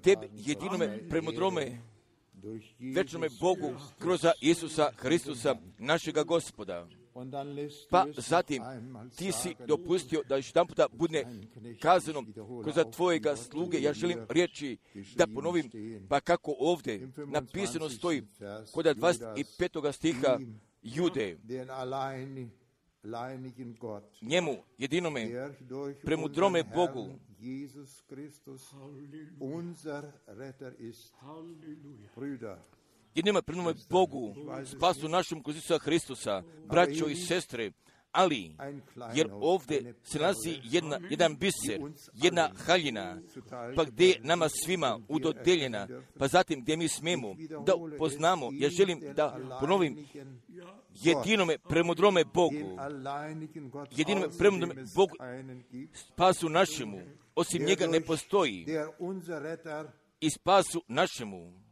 tebi jedinome premudrome večnome Bogu kroz Isusa Hristusa, našega Gospoda. Pa zatim ti si dopustio da još jedan puta bude kazano kroz tvojega sluge. Ja želim reći da ponovim, pa kako ovdje napisano stoji kod 25. stiha Jude. Njemu, jedinome, premudrome Bogu, jedinome premudrome Bogu, spasu našem kroz Isusa Hristusa, braćo i sestre, ali, jer ovdje se nalazi jedan biser, jedna haljina, pa gdje je nama svima udodeljena, pa zatim gdje mi smemo da poznamo, ja želim da ponovim, jedinome premudrome Bogu, jedinome premudrome Bogu, spasu našemu, osim njega ne postoji, i spasu našemu,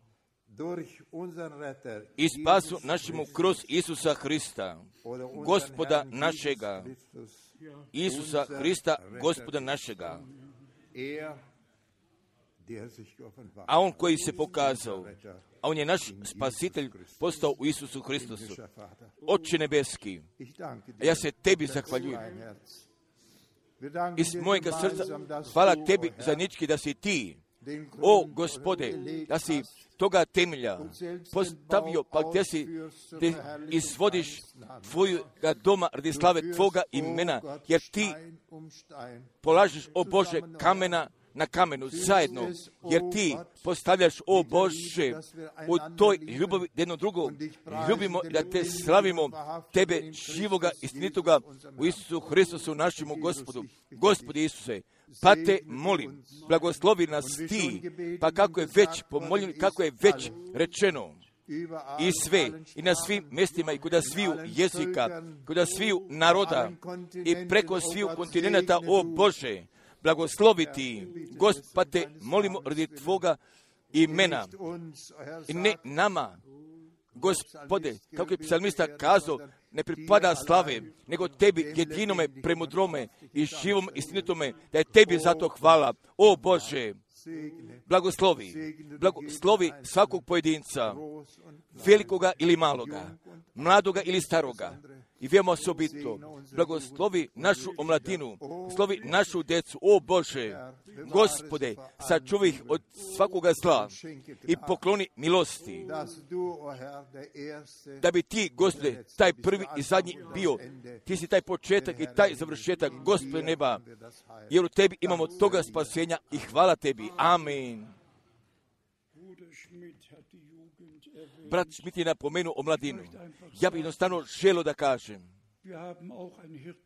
i spasu našemu kroz Isusa Hrista, Gospoda našega. Isusa Hrista, Gospoda našega. A on koji se pokazao, a on je naš spasitelj postao u Isusu Hristusu. Oče nebeski, ja se tebi zahvaljujem. Iz mojega srca hvala tebi zajednički da si ti, o Gospode, da si toga temelja postavio, pa gdje si te izvodiš tvoga doma radi slave tvoga imena, jer ti polažeš, o Bože, kamena na kamenu zajedno, jer ti postavljaš, o Bože, u toj ljubavi jedno drugo. Ljubimo da te slavimo, tebe živoga, istinitoga, u Isusu Hristusu, našemu Gospodu. Gospodi Isuse, pa te molim, blagoslovi nas ti, pa kako je već pomoljeno, kako je već rečeno, i sve, i na svim mjestima, i kuda sviju jezika, kuda sviju naroda, i preko sviju kontinenta, o Bože, blagosloviti, Gospode, molimo radi tvoga imena, i ne nama, Gospode, kako je psalmista kazao, ne pripada slave, nego tebi jedinome, premudrome i živom istinitome, da je tebi zato hvala, o Bože. Blagoslovi svakog pojedinca, velikoga ili maloga, mladoga ili staroga, i veoma osobito, blagoslovi našu omladinu, slovi našu decu, o Bože, Gospode, sačuvaj ih od svakoga zla i pokloni milosti, da bi ti, Gospode, taj prvi i zadnji bio, ti si taj početak i taj završetak, Gospode neba, jer u tebi imamo toga spasenja i hvala tebi. Amen. Brat Schmidt je napomenuo o mladinu. Ja bih jednostavno želio da kažem,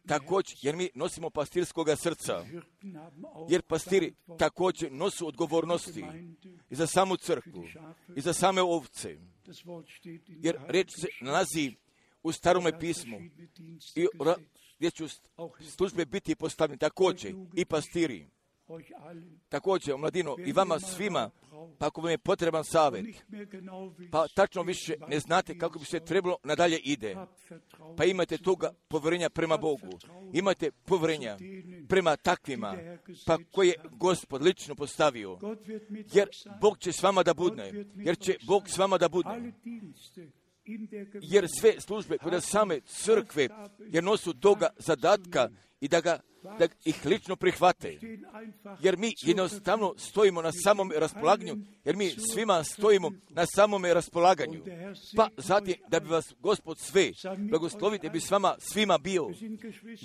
također, jer mi nosimo pastirskoga srca, jer pastiri također nosu odgovornosti i za samu crkvu, i za same ovce, jer reč se nalazi u Starome pismu, i gdje će službe biti postavljene također i pastiri. Također, mladino, i vama svima, pa ako vam je potreban savjet, pa tačno više ne znate kako bi se trebalo nadalje ide, pa imate toga povjerenja prema Bogu, imate povjerenja prema takvima, pa koje je Gospod lično postavio, jer Bog će s vama da budne, jer će Bog s vama da budne. Jer sve službe kod same crkve, jer nosu toga zadatka i da ih lično prihvate. Jer mi jednostavno stojimo na samom raspolaganju, jer mi svima stojimo na samome raspolaganju. Pa zatim da bi vas Gospod sve blagoslovite bi s vama svima bio.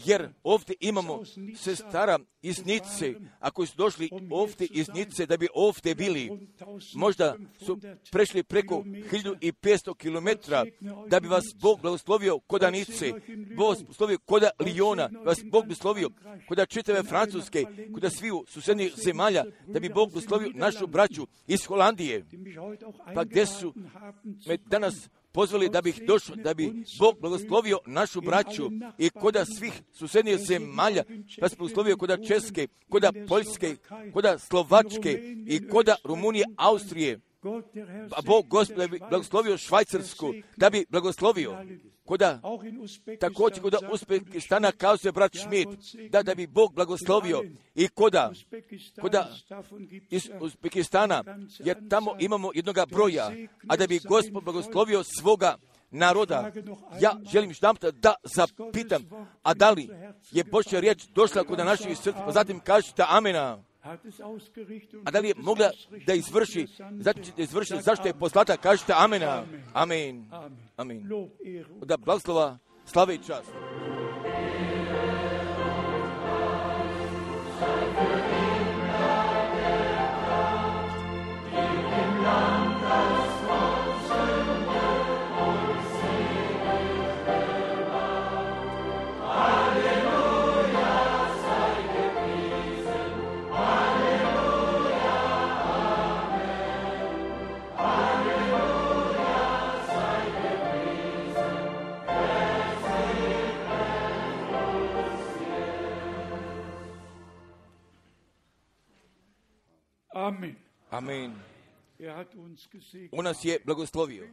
Jer ovdje imamo sestara iz Nice, ako su došli ovdje iz Nice da bi ovdje bili, možda su prešli preko 1500 km da bi vas Bog blagoslovio koda Nice, Bog blagoslovio koda Lijona, vas Bog blagoslovio koda čitave Francuske, koda sviju susednih zemalja, da bi Bog blagoslovio našu braću iz Holandije. Pa gdje su me danas pozvali da bih došao, da bi Bog blagoslovio našu braću i koda svih susednih zemalja, da se blagoslovio koda Česke, koda Poljske, koda Slovačke i koda Rumunije, Austrije. A Bog Gospod da bi blagoslovio Švajcarsku, da bi blagoslovio koda, također koda Uzbekistana, kao se brat Schmidt, da bi Bog blagoslovio i koda iz Uzbekistana, jer tamo imamo jednoga broja, a da bi Gospod blagoslovio svoga naroda. Ja želim da zapitam, a da li je Božja riječ došla kod naših srca, pa zatim kažete amena. A da li je mogla da izvrši, zašto je poslata, kažete amena. Amen. Amen. Da blagoslova, slave i čast. Amen. Amen. Er hat uns gesegnet. On nas je blagoslovio.